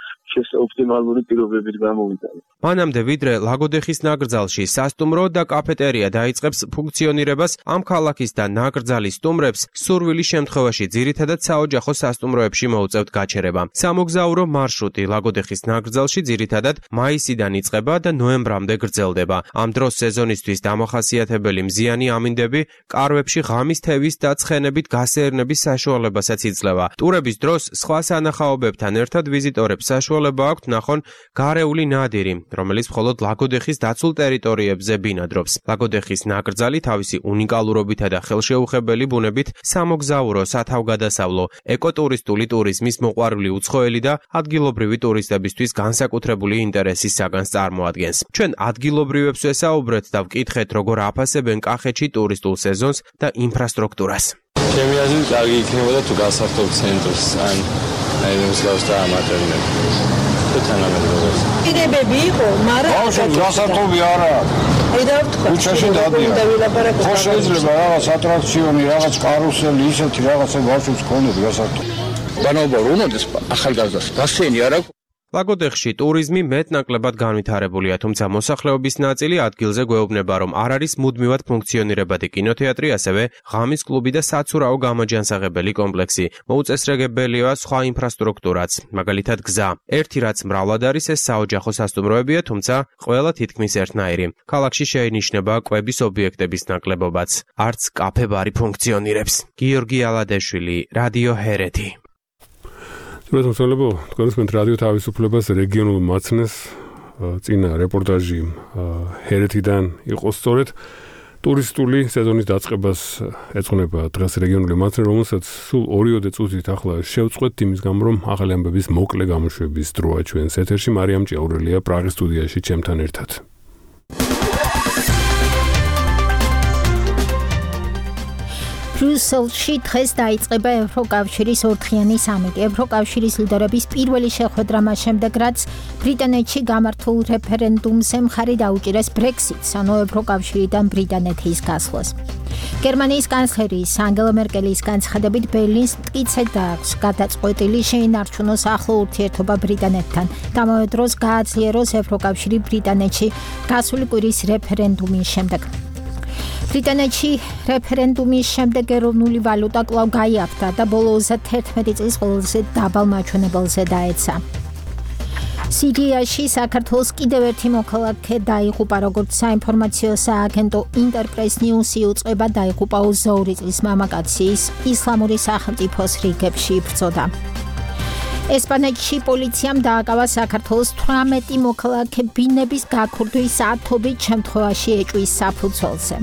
ოპტიმალური პირობებით გამოვიდა. მანამდე ვიდრე ლაგოდეხის ნაკრძალში სასტუმრო და კაფეტერია დაიწყებს ფუნქციონირებას, ამ ქალაქის და ნაკრძალის სტუმრებს სურვილის შემთხვევაში ძირითადად საოჯახო სასტუმროებში მოუწევთ გაჩერება. სამოგზაურო მარშრუტი ლაგოდეხის ნაკრძალში ძირითადად მაისიდან იწყება და ნოემბრამდე გრძელდება. ამ დროს სეზონისთვის დამახასიათებელი მზიანი ამინდები კარვებში ღამის თევის და ცხენებით გასეირნების საშუალებასაც იძლევა. ტურების დროს სხვა სანახაობებთან ერთად ვიზიტორებს საშუალება აქვთ ნახონ გარეული ნადირი, რომელიც მხოლოდ ლაგოდეხის დაცულ ტერიტორიებზე ბინადრობს. ლაგოდეხის ნაკრძალი თავისი უნიკალურობითა და ხელშეუხებელი ბუნებით სამოგზაურო, სათავგადასავლო, ეკოტურისტული ტურიზმის მოყვარული უცხოელი და ადგილობრივი ტურისტებისთვის განსაკუთრებული ინტერესის საგანს წარმოადგენს. ჩვენ ადგილობრივებს ვესაუბრეთ და ვკითხეთ, როგორ აფასებენ კახეთში ტურისტულ სეზონს და ინფრასტრუქტურას. ჩემი აზრით, კარგი იქნებოდა თუ გასართობ ცენტრს ან აი მსგავს და ამატერნებს. თანამედროვე. კიდებები იყო, მაგრამ ბავშვი გასართობი არა. აი და ვთქვა. უჩაში დადიან. ხო შეიძლება რაღაც ატრაქციონი, რაღაც კარუსელი, ისეთი რაღაცა ბავშვებს ქონდეს გასართობი. ბანაობა რომ უნდეს ახალგაზრდას გასცენი არა. ლაგოდეხში ტურიზმი მეტნაკლებად განვითარებულია, თუმცა მოსახლეობის ნაწილი ადგილზე გვეუბნება, რომ არ არის მუდმივად ფუნქციონირებადი კინოთეატრი, ასევე ღამის კლუბი და საცურაო გამაჯანსაღებელი კომპლექსი. მოუწესრიგებელია სხვა ინფრასტრუქტურაც, მაგალითად გზა. ერთი რაც მრავლად არის, ეს საოჯახო სასტუმროებია, თუმცა ყველა თითქმის ერთნაირი. ქალაქში შეინიშნება კვების ობიექტების ნაკლებობაც. არც კაფე-ბარი ფუნქციონირებს. გიორგი ალადაშვილი, რადიო ჰერეთი. მოგესალმებო, თქვენს მეთ რადიო თავისუფლებას რეგიონულ მაცნეს წინა რეპორტაჟი ჰერეთიდან იყო სწორედ ტურისტული სეზონის დაწყებას ეძღვნება დღეს რეგიონული მაცნე, რომელსაც სულ ორიოდე წუთით ახლა შევწყვეტ იმის გამო, რომ ახალი ამბების მოკლე გამოშვების დროა ჩვენს ეთერში. მარიამ ჭიაურელია პრაღის სტუდიაში ჩემთან ერთად. ბრიუსელში დღეს დაიწყება ევროკავშირის ორთქიანი სამიტი. ევროკავშირის ლიდერების პირველი შეხვედრა მას შემდეგ, რაც ბრიტანეთში გამართულ რეფერენდუმზე მხარი დაუჭირეს ბრექსიტს, ანუ ევროკავშირიდან ბრიტანეთის გასვლას. გერმანიის კანცლერის ანგელა მერკელის განცხადებით, ბერლინს მტკიცედ აქვს გადაწყვეტილი შეინარჩუნოს ახლო ურთიერთობა ბრიტანეთთან. ამავე დროს გააძლიეროს ევროკავშირი ბრიტანეთში გასული კვირის რეფერენდუმის შემდეგ. ბრიტანეთში რეფერენდუმის შემდეგ ეროვნული ვალუტა კვლავ გაიაფთა და ბოლო ოცდაერთი წლის ყველაზე დაბალ მაჩვენებელზე დაეცა. სირიაში საქართველოს კიდევ ერთი მოქალაქე დაიღუპა, როგორც საინფორმაციო სააგენტო ინტერპრეს ნიუსი უწყება, დაიღუპა ოცდაორი წლის მამაკაცის ისლამური სახელმწიფოს რიგებში იბრძოდა. ესპანეთში პოლიციამ დააკავა საქართველოს თვრამეტი მოქალაქე ბინების გაქურდვის ათობით შემთხვევაში ეჭვის საფუძველზე.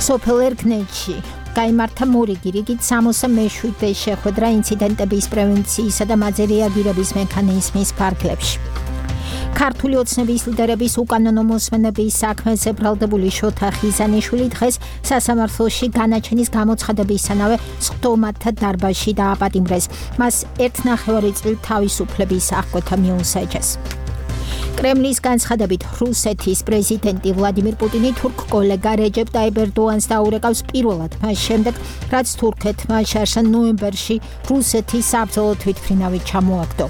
სოფელ ერგნეთში გაიმართა მორიგი რიგით სამოცდამეშვიდე შეხვედრა ინციდენტების პრევენციისა და მათზე რეაგირების მექანიზმის ფარგლებში. ქართული ოცნების ლიდერების უკანონო მოსმენების საქმეზე ბრალდებული შოთა ხიზანიშვილი დღეს სასამართლოში განაჩენის გამოცხადებისთანავე სხდომათა დარბაზში დააპატიმრეს. მას ერთნახევარი წლით თავისუფლების აღკვეთა მიუსაჯეს. კრემლის განცხადებით რუსეთის პრეზიდენტი ვლადიმირ პუტინი თურქ კოლეგა რეჯეპ ტაიპ ერდოანს დაურეკავს პირველად მას შემდეგ, რაც თურქეთმა შარშა ნოემბერში რუსეთის საბრძოლო თვითმფრინავი ჩამოაგდო.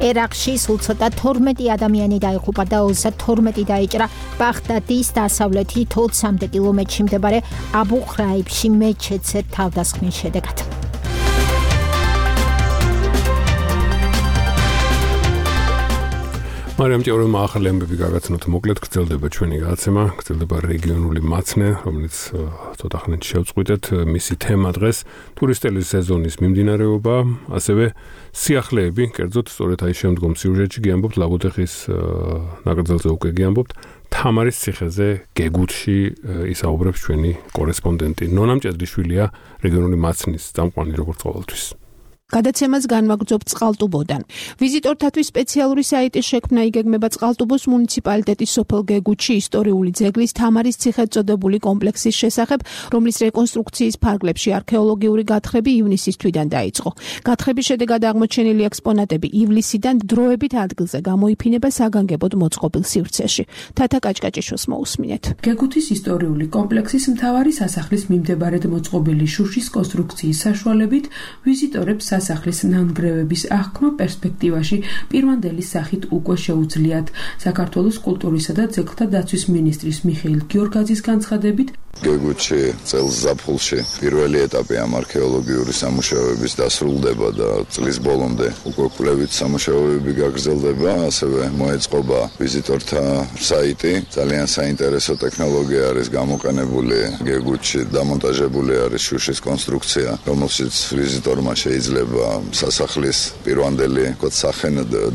ერაყში სულ ცოტა თორმეტი ადამიანი დაიღუპა და ოცდათორმეტი დაიჭრა ბაღდადის დასავლეთით ოცამდე კილომეტრში მდებარე აბუ ხრაიბში მეჩეთზე თავდასხმის შედეგად. მარიამ ჭეურმა ახალი ამბები გაგაცნოთ, მოკლედ გრძელდება ჩვენი გადაცემა, გრძელდება რეგიონული მაცნე, რომელიც ცოტა ხნით შევწყვიტეთ. მისი თემა დღეს ტურისტული სეზონის მიმდინარეობა, ასევე სიახლეები, კერძოდ სწორედ აი შემდგომ სიუჟეტში გიამბობთ ლაგოდეხის ნაკრძალზე უკვე გიამბობთ თამარის ციხეზე გეგუთში ისაუბრებს ჩვენი კორესპონდენტი ნონა მჭედლიშვილია, რეგიონული მაცნის წამყვანი როგორც ყოველთვის. გადაცემას განვაგრძობთ წყალტუბოდან. ვიზიტორთათვის სპეციალური საიტის შექმნა იგეგმება წყალტუბოს მუნიციპალიტეტის სოფელ გეგუთში ისტორიული ძეგლის თამარის ციხედ წოდებული კომპლექსის შესახებ, რომლის რეკონსტრუქციის ფარგლებში არქეოლოგიური გათხრები ივნისის თვიდან დაიწყო. გათხრების შედეგად აღმოჩენილი ექსპონატები ივლისიდან დროებით ადგილზე გამოიფინება საგანგებოდ მოწყობილ სივრცეში. თათა კაჭკაჭიშვილს მოусმინეთ. გეგუთის ისტორიული კომპლექსის მთავარი სასახლის მიმდებარედ მოწყობილი შუშის კონსტრუქციის საშუალებით ვიზიტორებს სასახლის ნანგრევების აღქმა პერსპექტივაში პირვანდელი სახით უკვე შეუძლიათ. საქართველოს კულტურისა და ძეგლთა დაცვის მინისტრის მიხეილ გიორგაძის განცხადებით, გეგუთში წელს ზაფხულში პირველი ეტაპი ამ არქეოლოგიური სამუშაოების დასრულდება და წლის ბოლომდე უკვე კვლევით სამუშაოები გაგრძელდება, ასევე მოეწყობა ვიზიტორთა საიტი. ძალიან საინტერესო ტექნოლოგია არის გამოყენებული გეგუთში, დამონტაჟებული არის შუშის კონსტრუქცია, რომელშიც ვიზიტორმა შეიძლება სასახლის პირვანდელი სახე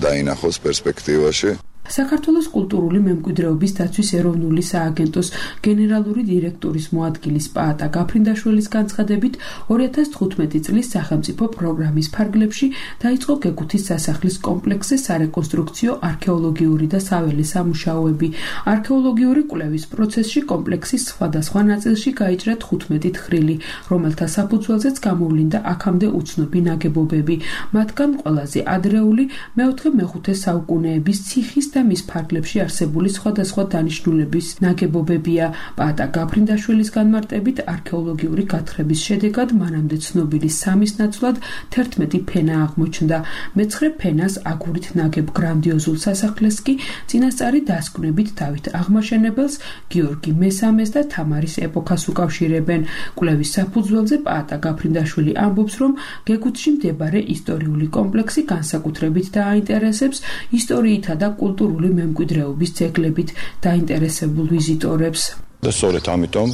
დაინახოს პერსპექტივაში. საქართველოს კულტურული მემკვიდრეობის დაცვის ეროვნული სააგენტოს გენერალური დირექტორის მოადგილის პაატა გაფრინდაშვილის განცხადებით, ორი ათას თხუთმეტი წლის სახელმწიფო პროგრამის ფარგლებში დაიწყო გეგუთის სასახლის კომპლექსზე სარეკონსტრუქციო არქეოლოგიური და საველე სამუშაოები. არქეოლოგიური კვლევის პროცესში კომპლექსის სხვადასხვა ნაწილში გაიჭრა თხუთმეტი თხრილი, რომელთა საფუძველზეც გამოვლინდა აქამდე უცნობი ნაგებობები. მათგან ყველაზე ადრეული მეოთხე-მეხუთე საუკუნეების ციხის და მის ფარგლებში არსებული სხვადასხვა დანიშნულების ნაგებობებია. პაატა გაფრინდაშვილის განმარტებით, არქეოლოგიური გათხრების შედეგად მანამდე ცნობილი სამის ნაცვლად თერთმეტი ფენა აღმოჩნდა. მეცხრე ფენას აგურით ნაგებ გრანდიოზულ სასახლეს კი წინასწარი დასკვნებით დავით აღმაშენებელს, გიორგი მესამეს და თამარის ეპოქას უკავშირებენ. კვლევის საფუძველზე პაატა გაფრინდაშვილი ამბობს, რომ გეგუთში მდებარე ისტორიული კომპლექსი განსაკუთრებით დააინტერესებს ისტორიითა და კულტურული მემკვიდრეობის ძეგლებით დაინტერესებულ ვიზიტორებს. და სწორედ ამიტომ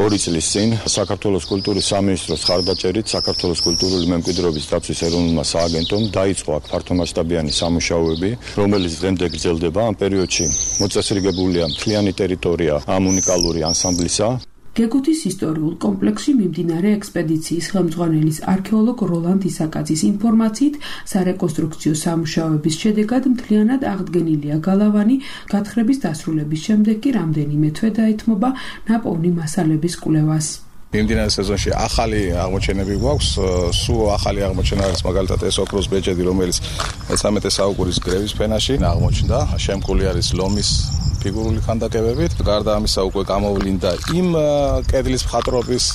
ორი წლის წინ საქართველოს კულტურის სამინისტროს ხარდაჭერით საქართველოს კულტურული მემკვიდრეობის დაცვის ეროვნულმა სააგენტომ დაიწყო აქ ფართომასშტაბიანი სამუშაოები, რომელიც დღემდე გრძელდება. ამ პერიოდში მოწესრიგებულია მთლიანი ტერიტორია ამ უნიკალური ანსამბლისა. გეგუთის ისტორიულ კომპლექსში მიმდინარე ექსპედიციის ხელმძღვანელის არქეოლოგ როლანდ ისაკაძის ინფორმაციით, სარეკონსტრუქციო სამუშაოების შედეგად მთლიანად აღდგენილია გალავანი, გათხრების დასრულების შემდეგ კი რამდენიმე თვე დაეთმობა ნაპოვნი მასალების კვლევას. მიმდინარე სეზონში ახალი აღმოჩენები გვაქვს, სულ ახალი აღმოჩენა არის მაგალითად ეს ოქროს ბეჭედი, რომელიც მესამედე საუკუნის გრევის ფენაში აღმოჩნდა, შემკული არის ლომის ფიგურული ქანდაკებებით. გარდა ამისა უკვე გამოვლინდა იმ კედლის მხატვრობის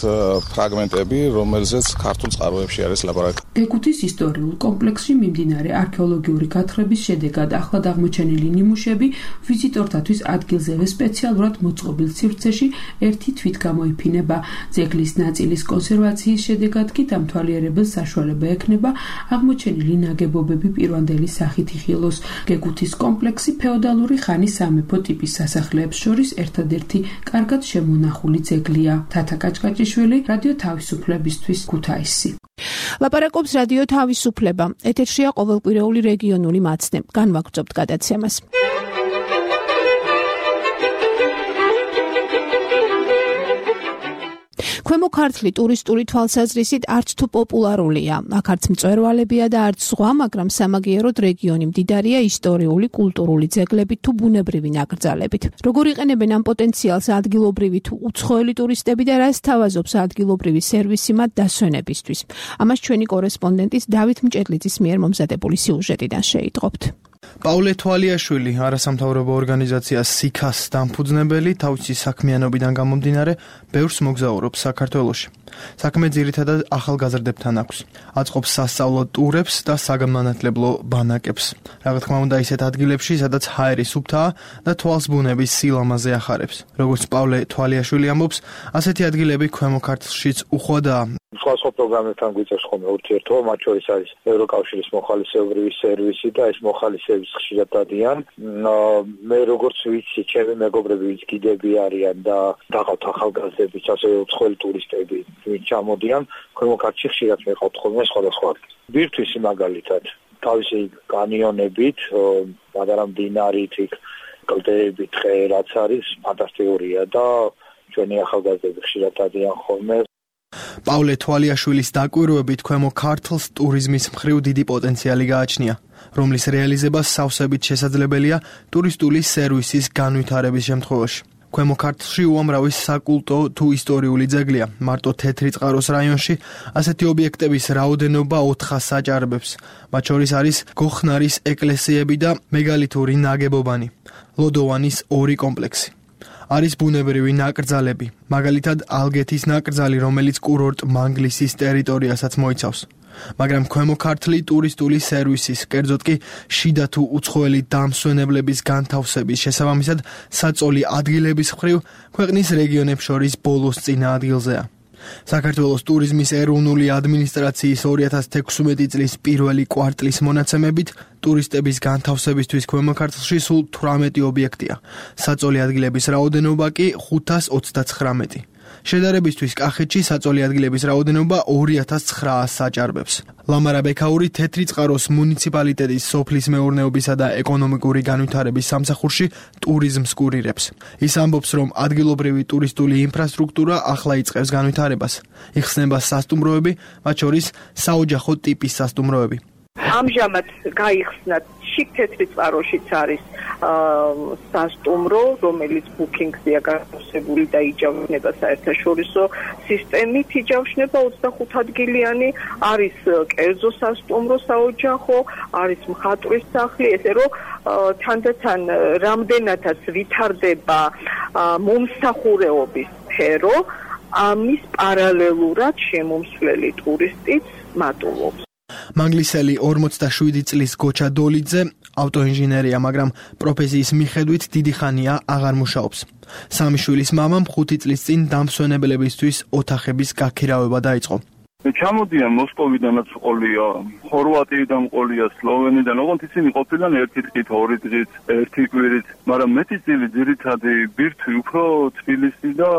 ფრაგმენტები, რომელზეც ქართულ წყაროებში არის ლაპარაკი. გეკუთის ისტორიულ კომპლექსში მიმდინარე არქეოლოგიური გათხრების შედეგად ახლად აღმოჩენილი ნიმუშები ვიზიტორთათვის ადგილზევე სპეციალურად მოწყობილ სივრცეში ერთი თვით გამოიფინება. ძეგლის ნაწილის კონსერვაციის შედეგად კი დამთვალიერებელს საშუალება ექნება აღმოჩენილი ნაგებობები პირვანდელი სახით იხილოს. გეკუთის კომპლექსი ფეოდალური ხანის სამეფო ტიპის სასახლეებს შორის ერთადერთი კარგად შემონახული ძეგლია. თათა კაჭკაჭიშვილი, რადიო თავისუფლებისთვის, ქუთაისი. ლაპარაკობს რადიო თავისუფლება. ეთერშია ყოველკვირეული რეგიონული მაცდე. განვაგრძობთ გადაცემას. ქვემო ქართლი ტურისტული თვალსაზრისით არც თუ პოპულარულია. აქ არც მწვერვალებია და არც ზღვა, მაგრამ სამაგიეროდ რეგიონი მდიდარია ისტორიული, კულტურული ძეგლებით თუ ბუნებრივი ნაკრძალებით. როგორ იყენებენ ამ პოტენციალს ადგილობრივი თუ უცხოელი ტურისტები და რას თავაზობს ადგილობრივი სერვისი მათ დასვენებისთვის? ამას ჩვენი კორესპონდენტის დავით მჭედლიძის მიერ მომზადებული სიუჟეტიდან შეიტყობთ. პაულე თვალიაშვილი, არასამთავრობო ორგანიზაცია სიქას დამფუძნებელი, თავისი საქმიანობიდან გამომდინარე, ბევრს მოგზაურობს საქართველოში. საქმე ძირითადად ახალგაზრდებთან აქვს. აწყობს სასწავლო ტურებს და საგანმანათლებლო ბანაკებს. რა თქმა უნდა, ისეთ ადგილებში, სადაც ჰაერი სუფთაა და თვალს ბუნების სილამაზე ახარებს. როგორც პაულე თვალიაშვილი ამბობს, ასეთი ადგილები ქვემო ქართლშიც უხვადაა. სხვადასხვა პროგრამებთან გვიწევს ხოლმე ურთიერთობა, მათ შორის არის ევროკავშირის მოხალისეობრივი სერვისი და ეს მოხალისეების ხშირად დადიან. მე როგორც ვიცი, ჩემი მეგობრები ვინც კიდები არიან და დაღავთ ახალგაზრდები, ასევე უცხოელი ტურისტები, ვინც ჩამოდიან, ქვემო ქართლში ხშირად მეყავთ ხოლმე სხვადასხვა ადგილი. ბირთვისი მაგალითად, თავისი კანიონებით, პატარა მდინარით, კლდეებით, ტყე რაც არის, ფანტასტიკურია და ჩვენი ახალგაზრდები ხშირად დადიან ხოლმე. პაულე თვალიაშვილის დაკვირვებით ქვემო ქართლს ტურიზმის მხრივ დიდი პოტენციალი გააჩნია, რომლის რეალიზება სავსებით შესაძლებელია ტურისტული სერვისის განვითარების შემთხვევაში. ქვემო ქართლში უამრავი საკულტო თუ ისტორიული ძეგლია. მარტო თეთრი წყაროს რაიონში ასეთი ობიექტების რაოდენობა ოთხას აჭარბებს. მათ შორის არის გოხნარის ეკლესიები და მეგალითური ნაგებობანი, ლოდოვანის ორი კომპლექსი. არის ბუნებრივი ნაკრძალები, მაგალითად ალგეთის ნაკრძალი, რომელიც კურორტ მანგლისის ტერიტორიასაც მოიცავს. მაგრამ ქვემო ქართლი ტურისტული სერვისის, კერძოდ კი შიდა თუ უცხოელი დამსვენებლების განთავსების შესაბამისად საწოლი ადგილების მხრივ ქვეყნის რეგიონებს შორის ბოლოს წინა ადგილზეა. საქართველოს ტურიზმის ეროვნული ადმინისტრაციის ორი ათას თექვსმეტი წლის პირველი კვარტლის მონაცემებით ტურისტების განთავსებისთვის ქვემო ქართლში სულ თვრამეტი ობიექტია. საწოლი ადგილების რაოდენობა კი ხუთას ოცდაცხრამეტი. შედარებისთვის კახეთში საწოლი ადგილების რაოდენობა ორი ათას ცხრაასს აჭარბებს. ლამარა ბექაური თეთრი წყაროს მუნიციპალიტეტის სოფლის მეურნეობისა და ეკონომიკური განვითარების სამსახურში ტურიზმს კურირებს. ის ამბობს, რომ ადგილობრივი ტურისტული ინფრასტრუქტურა ახლა იწყებს განვითარებას. იხსნება სასტუმროები, მათ შორის საოჯახო ტიპის სასტუმროები. ამჟამად გაიხსნა შიგ თეთრი წყაროშიც არის სასტუმრო, რომელიც ბუკინგზეა განთავსებული და იჯავშნება საერთაშორისო სისტემით, იჯავშნება ოცდახუთ ადგილიანი, არის კერძო სასტუმრო საოჯახო, არის მხატვრის სახლი, ესე რომ თანდათან რამდენადაც ვითარდება მომსახურეობის სფერო, ამის პარალელურად შემომსვლელი ტურისტიც მატულობს. მანგლისელი ორმოცდაშვიდი წლის გოჩა დოლიძე ავტოინჟინერია, მაგრამ პროფესიის მიხედვით დიდი ხანია აღარ მუშაობს. სამი შვილის მამამ ხუთი წლის წინ დამსვენებლებისთვის ოთახების გაქირავება დაიწყო. ჩამოდიან მოსკოვიდანაც ყოლია, ხორვატიიდან ყოლია, სლოვენიდან, ოღონდ ისინი ყოფილან ერთი დღით, ორი დღით, ერთი კვირით, მაგრამ მეტი წილი ძირითადი ბირთვი უფრო თბილისი და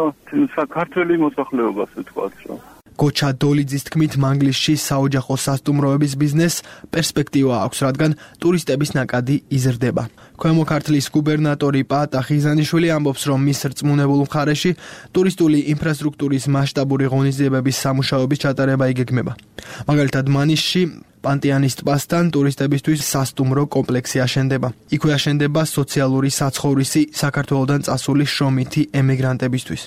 საქართველოს მოსახლეობას ვთქვათ, რომ გოჩა დოლიძის თქმით, მანგლისში საოჯახო სასტუმროების ბიზნესს პერსპექტივა აქვს, რადგან ტურისტების ნაკადი იზრდება. ქვემო ქართლის გუბერნატორი პაატა ხიზანიშვილი ამბობს, რომ მის რწმუნებულ მხარეში ტურისტული ინფრასტრუქტურის მასშტაბური ღონისძიებების სამუშაოების ჩატარება იგეგმება. მაგალითად, მანიშში პანტიანის ტბასთან ტურისტებისთვის სასტუმრო კომპლექსი აშენდება. იქვე აშენდება სოციალური საცხოვრისი საქართველოდან წასული შრომითი ემიგრანტებისთვის.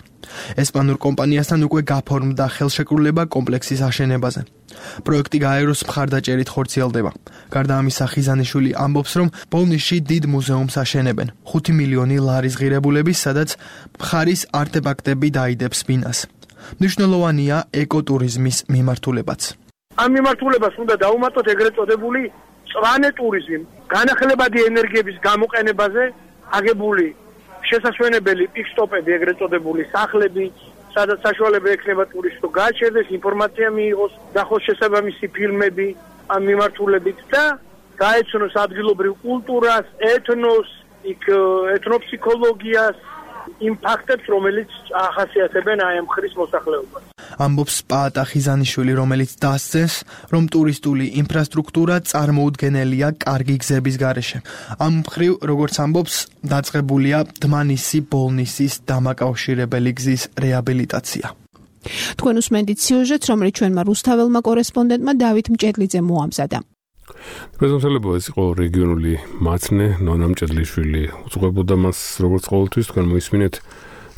ესპანურ კომპანიასთან უკვე გაფორმდა ხელშეკრულება კომპლექსის აშენებაზე. პროექტი გაეროს მხარდაჭერით ხორციელდება. გარდა ამისა, ხიზანიშვილი ამბობს, რომ ბოლნიში დიდ მუზეუმს აშენებენ. ხუთი მილიონი ლარის ღირებულების, სადაც მხარის არტეფაქტები დაიდებს ბინას. მნიშვნელოვანია ეკოტურიზმის მიმართულებაც. ამ მიმართულებას უნდა დაუმატოთ ეგრეთ წოდებული წვანე ტურიზმი, განახლებადი ენერგიების გამოყენებაზე აგებული შესაშვენებელი პიკსტოპები, ეგრეთ წოდებული სახლები, სადაც საშუალება ექნება ტურისტს რომ გააჩერდეს, ინფორმაცია მიიღოს, დახოს შესაბამისი ფილმები ამ მიმართულებით და გაეცნოს ადგილობრივ კულტურას, ეთნოს, იქ ეთნოფსიქოლოგიას, იმ ფაქტებს, რომელიც ახასიათებენ აი ამ ხრის მოსახლეობას. ამბობს პაატა ხიზანიშვილი, რომელიც დასცეს, რომ ტურისტული ინფრასტრუქტურა წარმოუდგენელია კარგი გზების გარეშე. ამ მხრივ, როგორც ამბობს, დაწყებულია დმანისი-ბოლნისის დამაკავშირებელი გზის რეაბილიტაცია. თქვენ უსმენთ სიუჟეტს, რომელიც ჩვენმა რუსთაველმა კორესპონდენტმა დავით მჭედლიძემ მოამზადა. პრეზიდენტელება ეს იყო რეგიონული მაცნე ნონა მჭედლიშვილი უძღვებოდა მას როგორც ყოველთვის თქვენ მოისმინეთ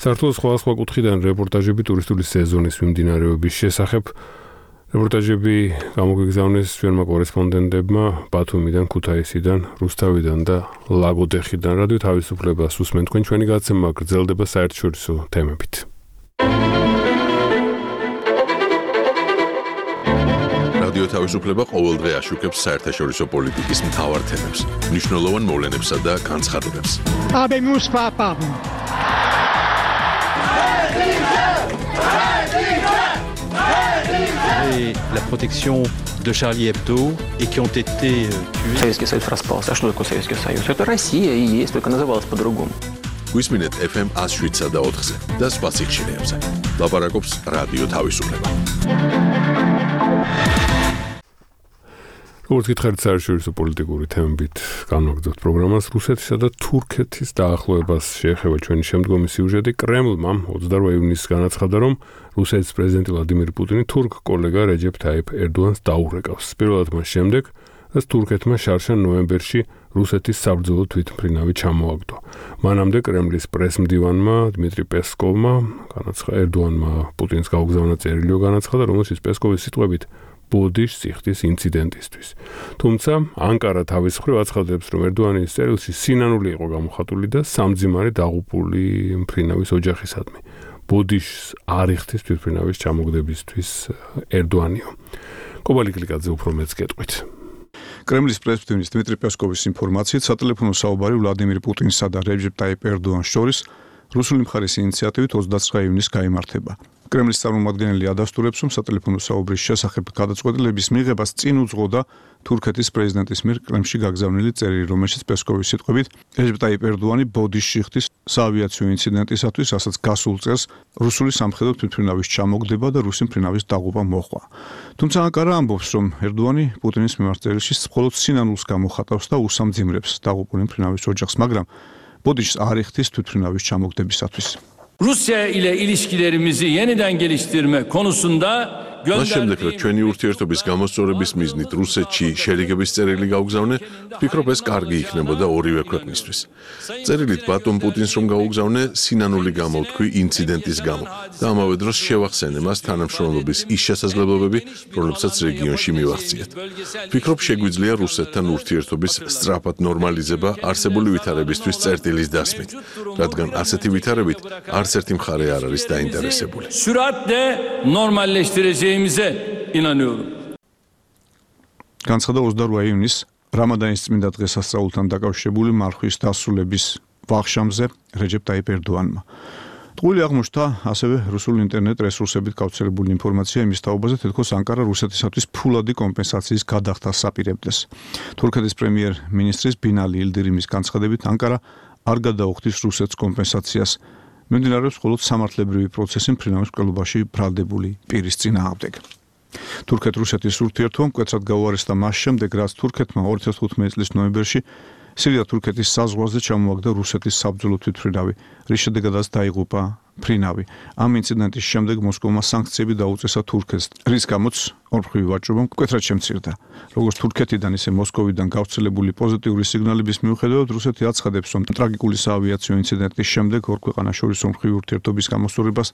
საქართველოს სხვადასხვა კუთხიდან რეპორტაჟები ტურისტული სეზონის მიმდინარეობის შესახებ რეპორტაჟები გამოგიგზავნეს ჩვენმა კორესპონდენტებმა ბათუმიდან, ქუთაისიდან, რუსთავიდან და ლაგოდეხიდან. რადიო თავისუფლებას უსმენთ, თქვენ ჩვენი გადაცემა გრძელდება საერთაშორისო თემებით. რადიო თავისუფლება ყოველდღე აშუქებს საერთაშორისო პოლიტიკის მთავარ თემებს, მნიშვნელოვან მოვლენებსა და განცხადებებს. Habemus papam. Et la protection de Charlie Hebdo et qui ont été tués. Советский Союз распался. А что такое Советский Союз? Это Россия и есть, только называлась по-другому. Висминет эф эм one oh seven და ოთხზე და სხვა სიხშირეებზე. ლაპარაკობს რადიო თავისუფლება. როგორც გითხარით, საერთაშორისო პოლიტიკური თემებით განვაგრძობთ პროგრამას. რუსეთისა და თურქეთის დაახლოებას შეეხება ჩვენი შემდგომი სიუჟეტი. კრემლმა ოცდაორი ივნისს განაცხადა, რომ რუსეთის პრეზიდენტი ვლადიმირ პუტინი თურქ კოლეგა რეჯეფ თაიფ ერდოანს დაურეკავს. პირველად მას შემდეგ, რაც თურქეთმა შარშან ნოემბერში რუსეთის საბრძოლო თვითმფრინავი ჩამოაგდო. მანამდე კრემლის პრესმდივანმა დმიტრი პესკოვმა განაცხადა ერდოანმა პუტინს გაუგზავნა წერილი, განაცხადა, რომელშიც პესკოვის სიტყვებით ბოდიშ სიხდის ინციდენტისთვის. თუმცა ანკარა თავის მხრივ აცხადებს, რომ ერდოანის წერილში სინანული იყო გამოხატული და სამძიმარი დაღუპული მფრინავის ოჯახისადმი. ბოდიშს არ იხდის თვითმფრინავის ჩამოგდებისთვის ერდოანიო. კობალი კლიკაძე უფრო მეც გეტყვით. კრემლის პრესმდივნის დმიტრი პესკოვის ინფორმაციით, სატელეფონო საუბარი ვლადიმირ პუტინსა და რეჯეფ ტაიფ ერდოანს შორის რუსული მხარის ინიციატივით ოცდაცხრა ივნისს გაიმართება. კრემლის წარმომადგენელი ადასტურებს, რომ სატელეფონო საუბრის შესახებ გადაწყვეტილების მიღებას წინ უძღოდა თურქეთის პრეზიდენტის მიერ კრემლში გაგზავნილი წერილი, რომელშიც პესკოვის სიტყვებით რეჯეფ ტაიფ ერდოანი ბოდიშში ხდის საავიაციო ინციდენტისათვის, რასაც გასულ წელს რუსული სამხედრო თვითმფრინავის ჩამოგდება და რუსი მფრინავის დაღუპვა მოჰყვა. თუმცა ანკარა ამბობს, რომ ერდოანი პუტინის მიმართ წერილში მხოლოდ სინანულს გამოხატავს და უსამძიმრებს დაღუპული მფრინავის ოჯახს, მაგრამ ბოდიშს არ იხდის თვითმფრინავის ჩამოგდებისათვის. Rusya ile ilişkilerimizi yeniden geliştirme konusunda მას შემდეგ, რომ ჩვენი ურთიერთობის გამოსწორების მიზნით რუსეთში შერიგების წერილი გაუგზავნე, ვფიქრობ, ეს კარგი იქნებოდა ორივე ქვეყნისთვის. წერილით ბატონ პუტინს რომ გაუგზავნე, სინანული გამოვთქვი ინციდენტის გამო და ამავე დროს შევახსენე მას თანამშრომლობის ის შესაძლებლობები, რომლებსაც რეგიონში მივახციეთ. ვფიქრობ, შეგვიძლია რუსეთთან ურთიერთობის სწრაფად ნორმალიზება არსებული ვითარებისთვის წერტილის დასმით, რადგან ასეთი ვითარებით არც ერთი მხარე არ არის დაინტერესებული. Süratle normalleştireceğimize inanıyorum. განცხადა ოცდაორი ივნისს რამადანის წმინდა დღესასწაულთან დაკავშირებული მარხვის დასრულების ვახშამზე რეჯეფ ტაიფ ერდოანმა. ტყუილი აღმოჩნდა ასევე რუსულ ინტერნეტ რესურსებით გავრცელებული ინფორმაცია იმის თაობაზე, თითქოს ანკარა რუსეთისათვის ფულადი კომპენსაციის გადახდას აპირებდეს. თურქეთის პრემიერ-მინისტრის ბინალი ილდირიმის განცხადებით, ანკარა არ გადაუხდის რუსეთს კომპენსაციას. მიმდინარეობს მხოლოდ სამართლებრივი პროცესი მფრინავის მკვლელობაში ბრალდებული პირის წინააღმდეგ. თურქეთ-რუსეთის ურთიერთობა მკვეთრად გაუარესდა მას შემდეგ, რაც თურქეთმა ორი ათას თხუთმეტი წლის ნოემბერში სირია-თურქეთის საზღვარზე ჩამოაგდა რუსეთის საბრძოლო თვითმფრინავი, რის შედეგადაც დაიღუპა მფრინავი. ამ ინციდენტის შემდეგ მოსკოვმა სანქციები დაუწესა თურქეთს, რის გამოც ორმხრივი ვაჭრობა მკვეთრად შემცირდა. როგორც თურქეთიდან, ისე მოსკოვიდან გავრცელებული პოზიტიური სიგნალების მიუხედავად, რუსეთი აცხადებს, რომ ტრაგიკული საავიაციო ინციდენტის შემდეგ ორ ქვეყანას შორის ორმხრივი ურთიერთობის გამოსწორებას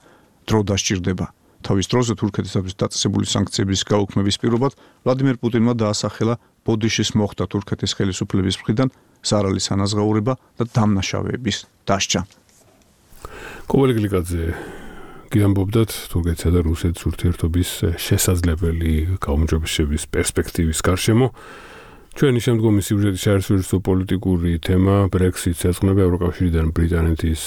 დრო დასჭირდება. თავის დროზე თურქეთისათვის დაწესებული სანქციების გაუქმების პირობად ვლადიმირ პუტინმა დაასახელა ბოდიშის მოხდა თურქეთის ხელისუფლების მხრიდან ზარალის ანაზღაურება და დამნაშავეების დასჯა. კობალი კლიკაძე გიამბობდათ თურქეთსა და რუსეთის ურთიერთობის შესაძლებელი გაუმჯობესების პერსპექტივის გარშემო. ჩვენი შემდგომი სიუჟეტი საერთაშორისო პოლიტიკური თემა Brexit-ს ეძღვნება ევროკავშირიდან ბრიტანეთის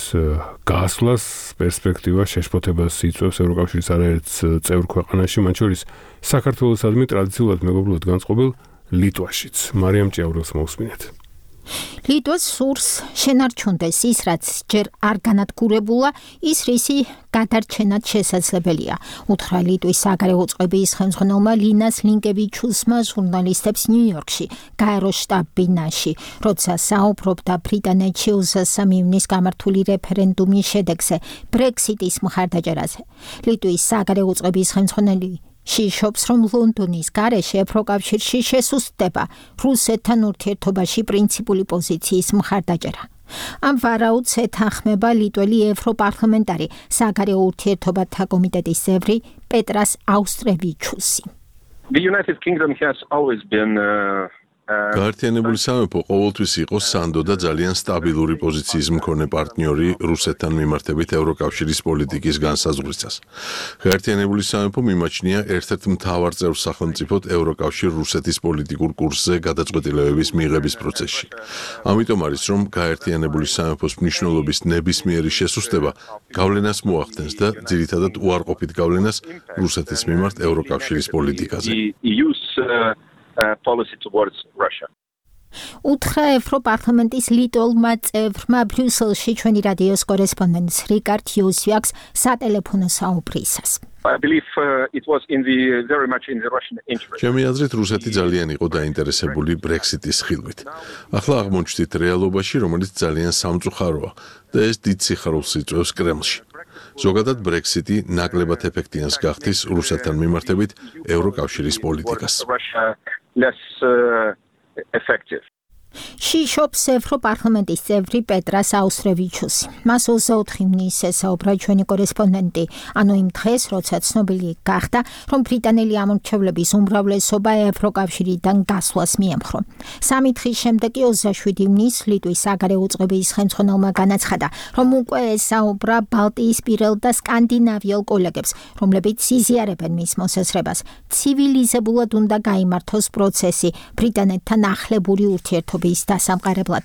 გასვლას, პერსპექტივა შეშფოთებას იწვევს ევროკავშირის არაერთ წევრ ქვეყანაში, მათ შორის საქართველოსადმი ტრადიციულად მეგობრულად განწყობილ ლიტვაშიც. მარიამ ჭიაურელს მოусმინეთ. ლიტვას სურს შენარჩუნდეს ის, რაც ჯერ არ განადგურებულა, ის რისი გადარჩენად შესაძლებელია. უთხრა ლიტვის საგარეო წყების ხელმძღვანელმა ლინას ლინკევიჩუსმა ჟურნალისტებს ნიუ-იორკში, გაეროს შტაბ-ბინაში, როცა საუბრობდა ბრიტანეთში ოცდამეცი ივნის გამართული რეფერენდუმის შედეგზე, Brexit-ის მხარდაჭერაზე. ლიტვის საგარეო წყების ხელმძღვანელი შიშობს, რომ ლონდონის გარეშე ევროკავშირში შესუსტდება რუსეთთან ურთიერთობაში პრინციპული პოზიციის მხარდაჭერა. ამ ვარაუდს ეთანხმება ლიტველი ევროპარლამენტარი საგარეო ურთიერთობათა კომიტეტის წევრი პეტრას აუსტრევიჩუსი. The United Kingdom has always been uh... გაერთიანებული სამეფო ყოველთვის იყო სანდო და ძალიან სტაბილური პოზიციის მქონე პარტნიორი რუსეთთან მიმართებით ევროკავშირის პოლიტიკის განსაზღვრისას. გაერთიანებული სამეფო მიმაჩნია ერთ-ერთ მთავარ წევრ სახელმწიფოდ ევროკავშირ-რუსეთის პოლიტიკურ კურსზე გადაწყვეტილებების მიღების პროცესში. ამიტომ არის, რომ გაერთიანებული სამეფოს მნიშვნელობის ნებისმიერი შესუსტება გავლენას მოახდენს და ძირითადად უარყოფით გავლენას რუსეთის მიმართ ევროკავშირის პოლიტიკაზე. Uh, policy towards Russia. უთხრა ევროპარლამენტის ლიტოლმა წევრმა ბრიუსელში ჩვენი რადიოს კორესპონდენტს რიკარდ იუსვიაკს სატელეფონო საუბრისას. I believe uh, it was in the very much in the Russian interest. ჩემი აზრით რუსეთი ძალიან იყო დაინტერესებული Brexit-ის ხილვით. ახლა აღმოჩნდით რეალობაში, რომელიც ძალიან სამწუხაროა და ეს დიდ სიხარულს იწვევს კრემლში. ზოგადად Brexit-ი ნაკლებად ეფექტიანს გახდის რუსეთთან მიმართებით ევროკავშირის პოლიტიკას. Less uh, effective. შიშობს ევროპარლამენტის წევრი პეტრას აუსტრევიჩუსი. მას ოცდაოთხი ივნის ესაუბრა ჩვენი კორესპონდენტი, ანუ იმ დღეს, როცა ცნობილი გახდა, რომ ბრიტანელი ამორჩევლების უმრავლესობა ევროკავშირიდან გასვლას მიემხრო. სამი დღის შემდეგ კი ოცდაშვიდი ივნის ლიტვის საგარეო წყების ხელმძღვანელმა განაცხადა, რომ უკვე ესაუბრა ბალტიისპირელ და სკანდინავიელ კოლეგებს, რომლებიც იზიარებენ მის მოსაზრებას. ცივილიზებულად უნდა გაიმართოს პროცესი ბრიტანეთთან ახლებური ურთიერთობა დასამყარებლად.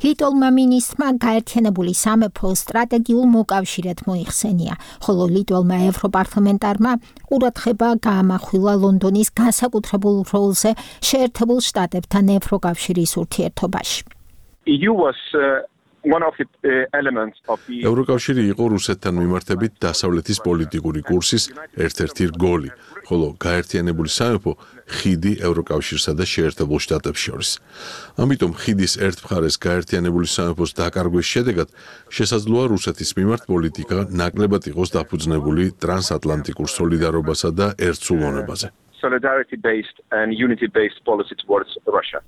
ლიტოლმა მინისტრმა გაერთიანებული სამეფო სტრატეგიულ მოკავშირედ მოიხსენია, ხოლო ლიტველმა ევროპარლამენტარმა ყურადღება გაამახვილა ლონდონის განსაკუთრებულ როლზე შეერთებულ შტატებთან ევროკავშირის ურთიერთობაში. E U was uh... one of the elements of the ევროკავშირი იყო რუსეთთან მიმართებით დასავლეთის პოლიტიკური კურსის ერთ-ერთი რგოლი, ხოლო გაერთიანებული სამეფო ხიდი ევროკავშირსა და შეერთებულ შტატებს შორის. ამიტომ ხიდის ერთ მხარეს გაერთიანებული სამეფოს დაკარგვის შედეგად შესაძლოა რუსეთის მიმართ პოლიტიკა ნაკლებად იყოს დაფუძნებული ტრანსატლანტიკურ სოლიდარობასა და ერთსულოვნებაზე. Solidarity based and unity based policy towards Russia.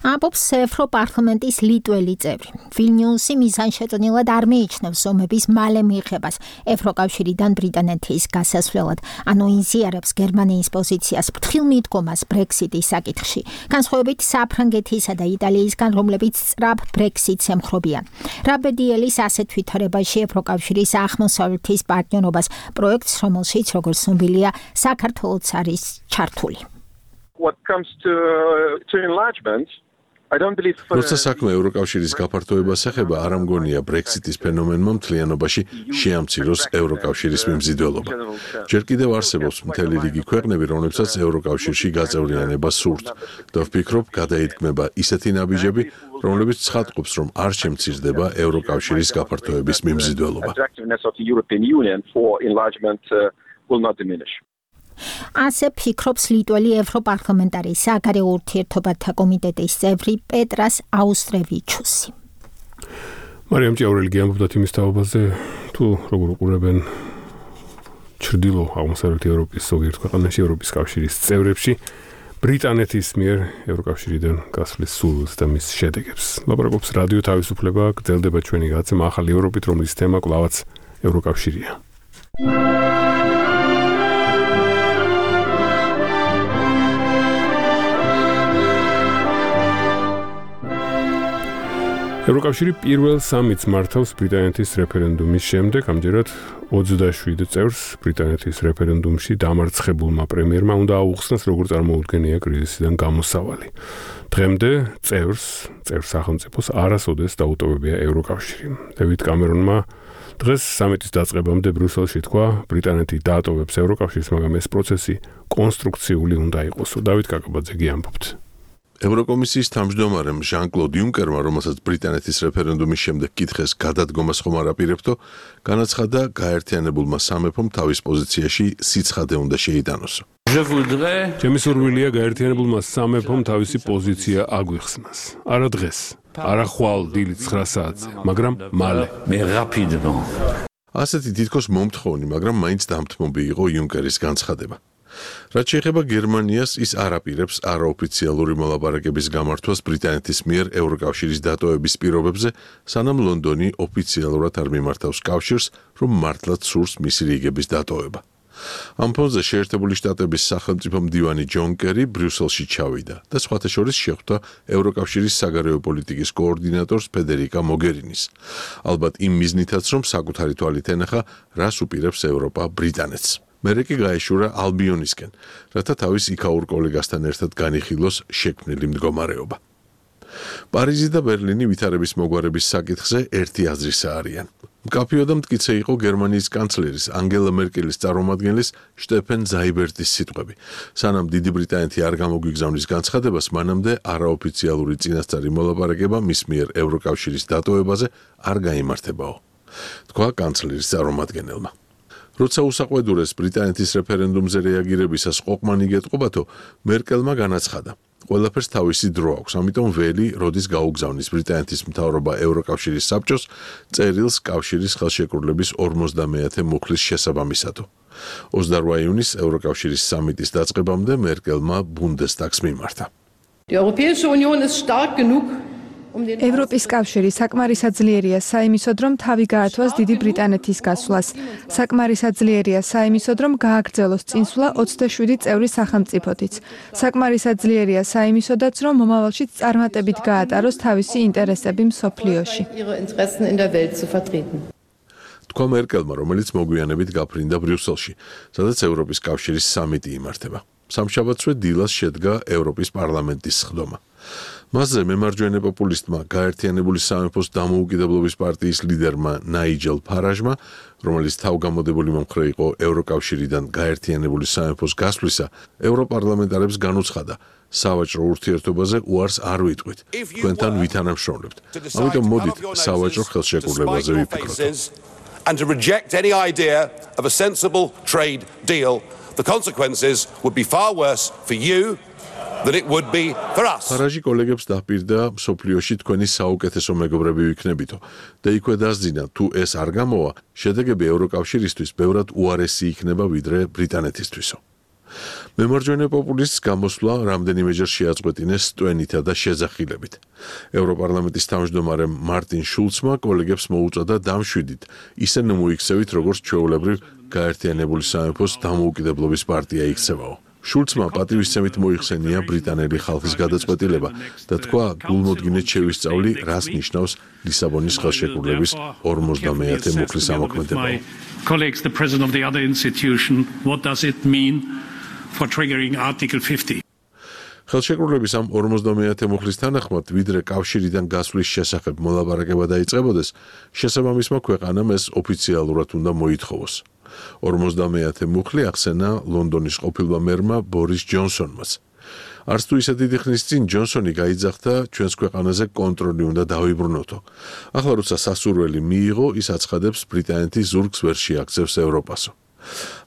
ამბობს ევროპარლამენტის ლიტველი წევრი. ვილნიუსი მიზანშეწონილად არ მიიჩნევს ომების მალე მიღებას ევროკავშირიდან ბრიტანეთის გასასვლელად, ანუ იზიარებს გერმანიის პოზიციას ფრთხილ მიდგომას Brexit-ის საკითხში, განსხვავებით საფრანგეთისა და იტალიისგან, რომლებიც სწრაფ Brexit-ს ემხრობიან. რაბედიელის ასეთ ვითარებაში ევროკავშირის აღმოსავლეთის პარტნიორობას პროექტს, რომელშიც, როგორც ცნობილია, საქართველოც არის ჩართული. What comes to to enlargement, I don't believe როცა საქმე ევროკავშირის გაფართოებას ეხება, არ ამგონია Brexit-ის ფენომენმა მთლიანობაში შეამციროს ევროკავშირის მიმზიდველობა. ჯერ კიდევ არსებობს მთელი რიგი ქვეყნები, რომლებსაც ევროკავშირში გაწევრიანება სურთ და ვფიქრობ, გადაიდგმება ისეთი ნაბიჯები, რომლებიც ცხადყოფს, რომ არ შემცირდება ევროკავშირის გაფართოების მიმზიდველობა. ასე ფიქრობს ლიტველი ევროპარლამენტარი საგარეო ურთიერთობათა კომიტეტის წევრი პეტრას აუსტრევიჩუსი. მარიამ ჭიაურელი გიამბობდათ იმის თაობაზე, თუ როგორ უყურებენ ჩრდილო აღმოსავლეთ ევროპის ზოგიერთ ქვეყანაში ევროპის კავშირის წევრებში ბრიტანეთის მიერ ევროკავშირიდან გასვლის სურვილს და მის შედეგებს. ლაპარაკობს რადიო თავისუფლება, გრძელდება ჩვენი გადაცემა ახალი ევროპით, რომლის თემა კვლავაც ევროკავშირია. ევროკავშირი პირველ სამიტს მართავს ბრიტანეთის რეფერენდუმის შემდეგ, ამჯერად ოცდაშვიდ წევრს ბრიტანეთის რეფერენდუმში დამარცხებულმა პრემიერმა უნდა აუხსნას, როგორ წარმოუდგენია კრიზისიდან გამოსავალი. დღემდე წევრს, წევრ სახელმწიფოს არასოდეს დაუტოვებია ევროკავშირი. დევიდ კამერონმა დღეს სამიტის დაწყებამდე ბრიუსელში თქვა, ბრიტანეთი დაატოვებს ევროკავშირს, მაგრამ ეს პროცესი კონსტრუქციული უნდა იყოსო. დავით კაკაბაძე ამბობთ. ევროკომისიის თავმჯდომარემ ჟან-კლოდ იუნკერმა, რომელსაც ბრიტანეთის რეფერენდუმის შემდეგ კითხეს გადადგომას ხომ არ აპირებთო, განაცხადა, გაერთიანებულმა სამეფომ თავის პოზიციაში სიცხადე უნდა შეიტანოსო. ჩემი სურვილია გაერთიანებულმა სამეფომ თავისი პოზიცია აგვიხსნას. არა დღეს, არა ხვალ დილით ცხრა საათზე, მაგრამ მალე. ასეთი თითქოს მომთხოვნი, მაგრამ მაინც დამთმობი იყო იუნკერის განცხადება. რაც შეეხება გერმანიას, ის არ აპირებს არაოფიციალური მოლაპარაკების გამართვას ბრიტანეთის მიერ ევროკავშირის დატოვების პირობებზე, სანამ ლონდონი ოფიციალურად არ მიმართავს კავშირს, რომ მართლაც სურს მისი რიგების დატოვება. ამ ფონზე შეერთებული შტატების სახელმწიფო მდივანი ჯონ კერი ბრიუსელში ჩავიდა და სხვათა შორის შეხვდა ევროკავშირის საგარეო პოლიტიკის კოორდინატორს ფედერიკა მოგერინის. ალბათ იმ მიზნითაც, რომ საკუთარი თვალით ენახა, რას უპირებს ევროპა ბრიტანეთს. მერე კი გაეშურა ალბიონისკენ, რათა თავის იქაურ კოლეგასთან ერთად განიხილოს შექმნილი მდგომარეობა. პარიზი და ბერლინი ვითარების მოგვარების საკითხზე ერთი აზრისა არიან. მკაფიო და მტკიცე იყო გერმანიის კანცლერის ანგელა მერკელის წარმომადგენლის შტეფენ ზაიბერტის სიტყვები. სანამ დიდი ბრიტანეთი არ გამოგვიგზავნის განცხადებას, მანამდე არაოფიციალური წინასწარი მოლაპარაკება მის მიერ ევროკავშირის დატოვებაზე არ გაიმართებაო, თქვა კანცლერის წარმომადგენელმა. როცა უსაყვედურეს ბრიტანეთის რეფერენდუმზე რეაგირებისას ყოყმანი გეტყობათო, მერკელმა განაცხადა, ყველაფერს თავისი დრო აქვს, ამიტომ ველი, როდის გაუგზავნის ბრიტანეთის მთავრობა ევროკავშირის საბჭოს წერილს კავშირის ხელშეკრულების ორმოცდამეათე მუხლის შესაბამისად. ოცდაოთხ ივნისს ევროკავშირის სამიტის დაწყებამდე მერკელმა ბუნდესტაგს მიმართა. ევროპის კავშირი საკმარისად ძლიერია საიმისოდ, რომ თავი გაართვას დიდი ბრიტანეთის გასვლას. საკმარისად ძლიერია საიმისოდ, რომ გააგრძელოს წინსვლა ოცდაშვიდი წევრის სახელმწიფოთიც. საკმარისად ძლიერია საიმისოდაც, რომ მომავალშიც წარმატებით გაატაროს თავისი ინტერესები მსოფლიოში. თქვა მერკელმა, რომელიც მოგვიანებით გაფრინდა ბრიუსელში, სადაც ევროპის კავშირის სამიტი იმართება. სამშაბათსვე დილას შედგა ევროპის პარლამენტის სხდომა. მასზე მემარჯვენე პოპულისტმა გაერთიანებული სამეფოს დამოუკიდებლობის პარტიის ლიდერმა ნაიჯელ ფარაჟმა, რომელიც თავგამოდებული მომხრე იყო ევროკავშირიდან გაერთიანებული სამეფოს გასვლისა, ევროპარლამენტარებს განუცხადა, სავაჭრო ურთიერთობაზე უარს არ ვიტყვით, თქვენთან ვითანამშრომლებთ. ამიტომ მოდით სავაჭრო ხელშეკრულებაზე ვიფიქროთ. And to reject any idea of a sensible trade deal, the consequences would be far worse for you than it would be for us. ფარაჟი კოლეგებს დაპირდა მსოფლიოში თქვენი საუკეთესო მეგობრები ვიქნებითო და იქვე დასძინა, თუ ეს არ გამოვა, შედეგები ევროკავშირისთვის ბევრად უარესი იქნება ვიდრე ბრიტანეთისთვისო. მემარჯვენე პოპულისტს გამოსვლა რამდენიმეჯერ შეაწყვეტინეს სტვენითა და შეძახილებით. ევროპარლამენტის თავმჯდომარემ მარტინ შულცმა კოლეგებს მოუწოდა დამშვიდით, ისე მოიქცევით, როგორც ჩვეულებრივ გაერთიანებული სამეფოს დამოუკიდებლობის პარტია იქცევაო. შულცმა პატივისცემით მოიხსენია ბრიტანელი ხალხის გადაწყვეტილება და თქვა, გულმოდგინედ შევისწავლი, რას ნიშნავს ლისაბონის ხელშეკრულების ორმოცდამეათე მუხლის ამოქმედება. Colleagues, the president of the other institution, what does it mean for triggering Article fifty? ხელშეკრულების ამ ორმოცდამეათე მუხლის თანახმად, ვიდრე კავშირიდან გასვლის შესახებ მოლაპარაკება დაიწყებოდეს, შესაბამისმა ქვეყანამ ეს ოფიციალურად უნდა მოითხოვოს. ორმოცდამეათე მუხლი ახსენა ლონდონის ყოფილმა მერმა ბორის ჯონსონმაც. არც თუ ისე დიდი ხნის წინ ჯონსონი გაიძახდა, ჩვენს ქვეყანაზე კონტროლი უნდა დავიბრუნოთო. ახლა როცა სასურველი მიიღო, ის აცხადებს, ბრიტანეთი ზურგს ვერ შეაქცევს ევროპასო.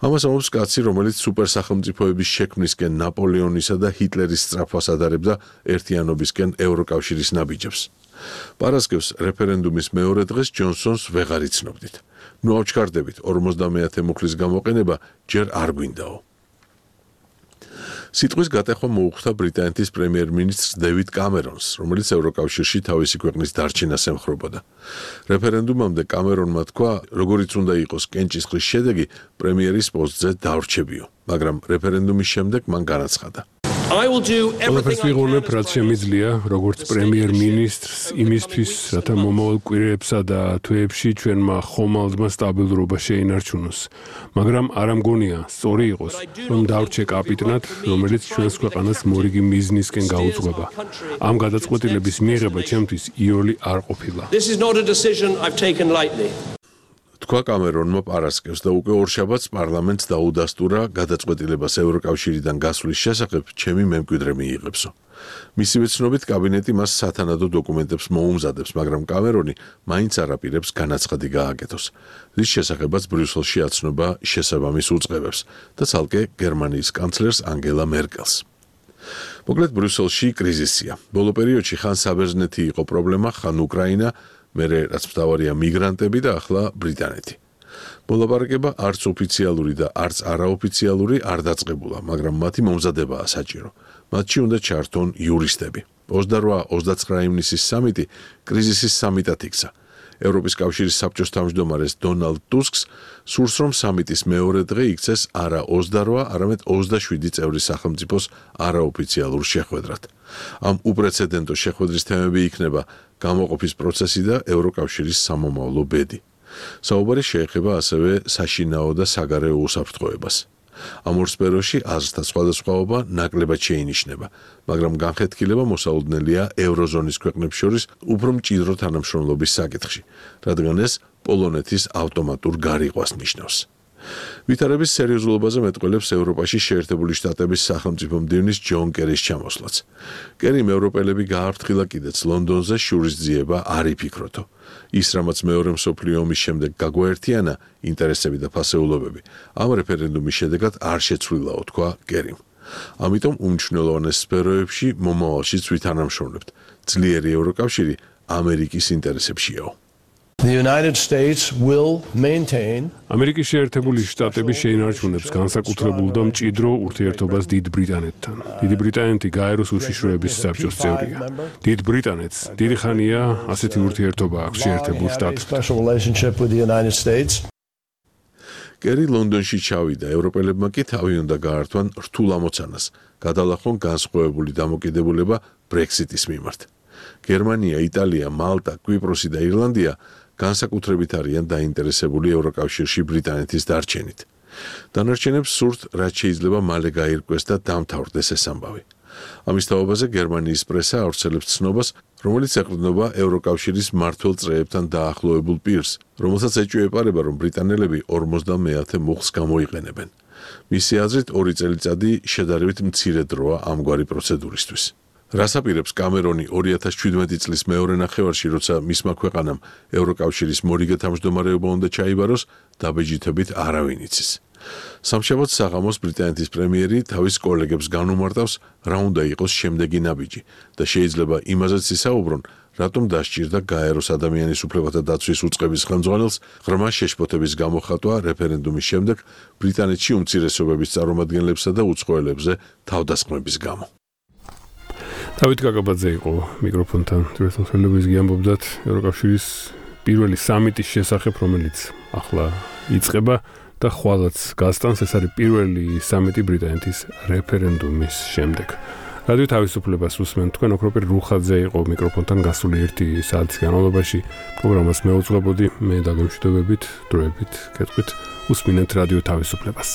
ამას ამბობს კაცი, რომელიც სუპერსახელმწიფოების შექმნისკენ ნაპოლეონისა და ჰიტლერის სწრაფვას ადარებდა ერთიანობისკენ ევროკავშირის ნაბიჯებს. პარასკევს რეფერენდუმის მეორე დღეს ჯონსონს ვეღარ იცნობდით. ნუ ავჩქარდებით, ორმოცდამეათე მუხლის გამოყენება ჯერ არ გვინდაო. სიტყვის გატეხვა მოუხდა ბრიტანეთის პრემიერ-მინისტრს დევიდ კამერონს, რომელიც ევროკავშირში თავისი ქვეყნის დარჩენას ემხრობოდა. რეფერენდუმამდე კამერონმა თქვა, როგორიც უნდა იყოს კენჭისყრის შედეგი, პრემიერის პოსტზე დავრჩებიო, მაგრამ რეფერენდუმის შემდეგ მან განაცხადა. I will do everything I can. რაც შემიძლია, როგორც პრემიერ-მინისტრს იმისთვის, რათა მომავალ კვირებსა და თვეებში ჩვენმა ხომალდმა სტაბილურობა შეინარჩუნოს. მაგრამ არ ამგონია, სწორი იყოს, რომ დავრჩე კაპიტნად, რომელიც ჩვენს ქვეყანას მორიგი მიზნისკენ გაუძღვება. ამ გადაწყვეტილების მიღება ჩემთვის იოლი არ ყოფილა. This is not a decision I've taken lightly. თქვა კამერონმა პარასკევს და უკვე ორშაბათს პარლამენტს დაუდასტურა გადაწყვეტილებას ევროკავშირიდან გასვლის შესახებ ჩემი მემკვიდრე მიიღებსო. მისივე ცნობით კაბინეტი მას სათანადო დოკუმენტებს მოუმზადებს, მაგრამ კამერონი მაინც არ აპირებს განაცხადი გააკეთოს. რის შესახებაც ბრიუსელში აცნობა შესაბამის უწყებებს და ცალკე გერმანიის კანცლერს ანგელა მერკელს. მოკლედ ბრიუსელში კრიზისია. ბოლო პერიოდში ხან საბერძნეთი იყო პრობლემა, ხან უკრაინა, მერე რაც მთავარია მიგრანტები და ახლა ბრიტანეთი. მოლაპარაკება არც ოფიციალური და არც არაოფიციალური არ დაწყებულა, მაგრამ მათი მომზადებაა საჭირო. მათში უნდა ჩართონ იურისტები. ოცდაოთხ ოცდაცხრა ივნისის სამიტი კრიზისის სამიტად იქცა. ევროპის კავშირის საბჭოს თავმჯდომარეს დონალდ ტუსკს სურს, რომ სამიტის მეორე დღე იქცეს არა ოცდაოთხ, არამედ ოცდაშვიდი წევრი სახელმწიფოს არაოფიციალურ შეხვედრად. ამ უპრეცედენტო შეხვედრის თემები იქნება გამოყოფის პროცესი და ევროკავშირის სამომავლო ბედი. საუბარი შეეხება ასევე საშინაო და საგარეო უსაფრთხოებას. ამ ორ სფეროში აზრთა სხვადასხვაობა ნაკლებად შეინიშნება, მაგრამ განხეთქილება მოსაუდნელია ევროზონის ქვეყნებს შორის უფრო მჭიდრო თანამშრომლობის საკითხში, რადგან ეს პოლონეთის ავტომატურ გარიყვას ნიშნავს. ვითარების სერიოზულობაზე მეტყველებს ევროპაში შეერთებული შტატების სახელმწიფო მდივნის ჯონ კერის ჩამოსვლაც. კერიმ ევროპელები გააფრთხილა კიდეც ლონდონზე შურისძიება არ იფიქროთო. ის, რამაც მეორე მსოფლიო ომის შემდეგ გაგვაერთიანა ინტერესები და ფასეულობები, ამ რეფერენდუმის შედეგად არ შეცვლილაო, თქვა კერიმ. ამიტომ უმნიშვნელოვანეს სფეროებში მომავალშიც ვითანამშრომლებთ. ძლიერი ევროკავშირი ამერიკის ინტერესებშიაო. The United States will maintain ამერიკის შეერთებული შტატები შეინარჩუნებს განსაკუთრებულ და მჭიდრო ურთიერთობას დიდ ბრიტანეთთან. დიდი ბრიტანეთი გაეროს უშიშროების საბჭოს წევრია. დიდ ბრიტანეთს დიდი ხანია ასეთი ურთიერთობა აქვს შეერთებულ შტატებთან. კერი ლონდონში ჩავიდა, ევროპელებმა კი თავი უნდა გაართვან რთულ ამოცანას, გადალახონ განსხვავებული დამოკიდებულება ბრექსიტის მიმართ. გერმანია, იტალია, მალტა, კვიპროსი და ირლანდია განსაკუთრებით არიან დაინტერესებული ევროკავშირში ბრიტანეთის დარჩენით. დანარჩენებს სურთ, რაც შეიძლება მალე გაირკვეს და დამთავრდეს ეს ამბავი. ამის თაობაზე გერმანიის პრესა ავრცელებს ცნობას, რომელიც ეყრდნობა ევროკავშირის მმართველ წრეებთან დაახლოებულ პირს, რომელსაც ეჭვეპარება, რომ ბრიტანელები ორმოცდამეათე მუხლს გამოიყენებენ. მისი აზრით, ორი წელიწადი შედარებით მცირე დროა ამგვარი პროცედურისთვის. რას აპირებს კამერონი ორი ათას შვიდმეტი წლის მეორე ნახევარში, როცა მისმა ქვეყანამ ევროკავშირის მორიგე თავმჯდომარეობა უნდა ჩაიბაროს, დაბეჯითებით არავინ იცის. სამშაბათს საღამოს ბრიტანეთის პრემიერი თავის კოლეგებს განუმარტავს, რა უნდა იყოს შემდეგი ნაბიჯი და შეიძლება იმაზეც ისაუბრონ, რატომ დასჭირდა გაეროს ადამიანის უფლებათა დაცვის უწყების ხელმძღვანელს ღრმა შეშფოთების გამოხატვა რეფერენდუმის შემდეგ ბრიტანეთში უმცირესობების წარმომადგენლებსა და უცხოელებზე თავდასხმების გამო. დავით გაგაბაძე იყო მიკროფონთან, თვითმფრინავის გიამბობდათ ევროკავშირის პირველი სამიტის შესახებ, რომელიც ახლა იწყება და ხვალაც გასტანს. ეს არის პირველი სამიტი ბრიტანეთის რეფერენდუმის შემდეგ. რადიო თავისუფლებას უსმენთ, თქვენ ოქროპირ რუხაძე იყო მიკროფონთან გასული ერთი საათის განმავლობაში. პროგრამას მეუძღვებოდი, მე დაგემშვიდობებით, დროებით, კეთყვით, უსმინეთ რადიო თავისუფლებას.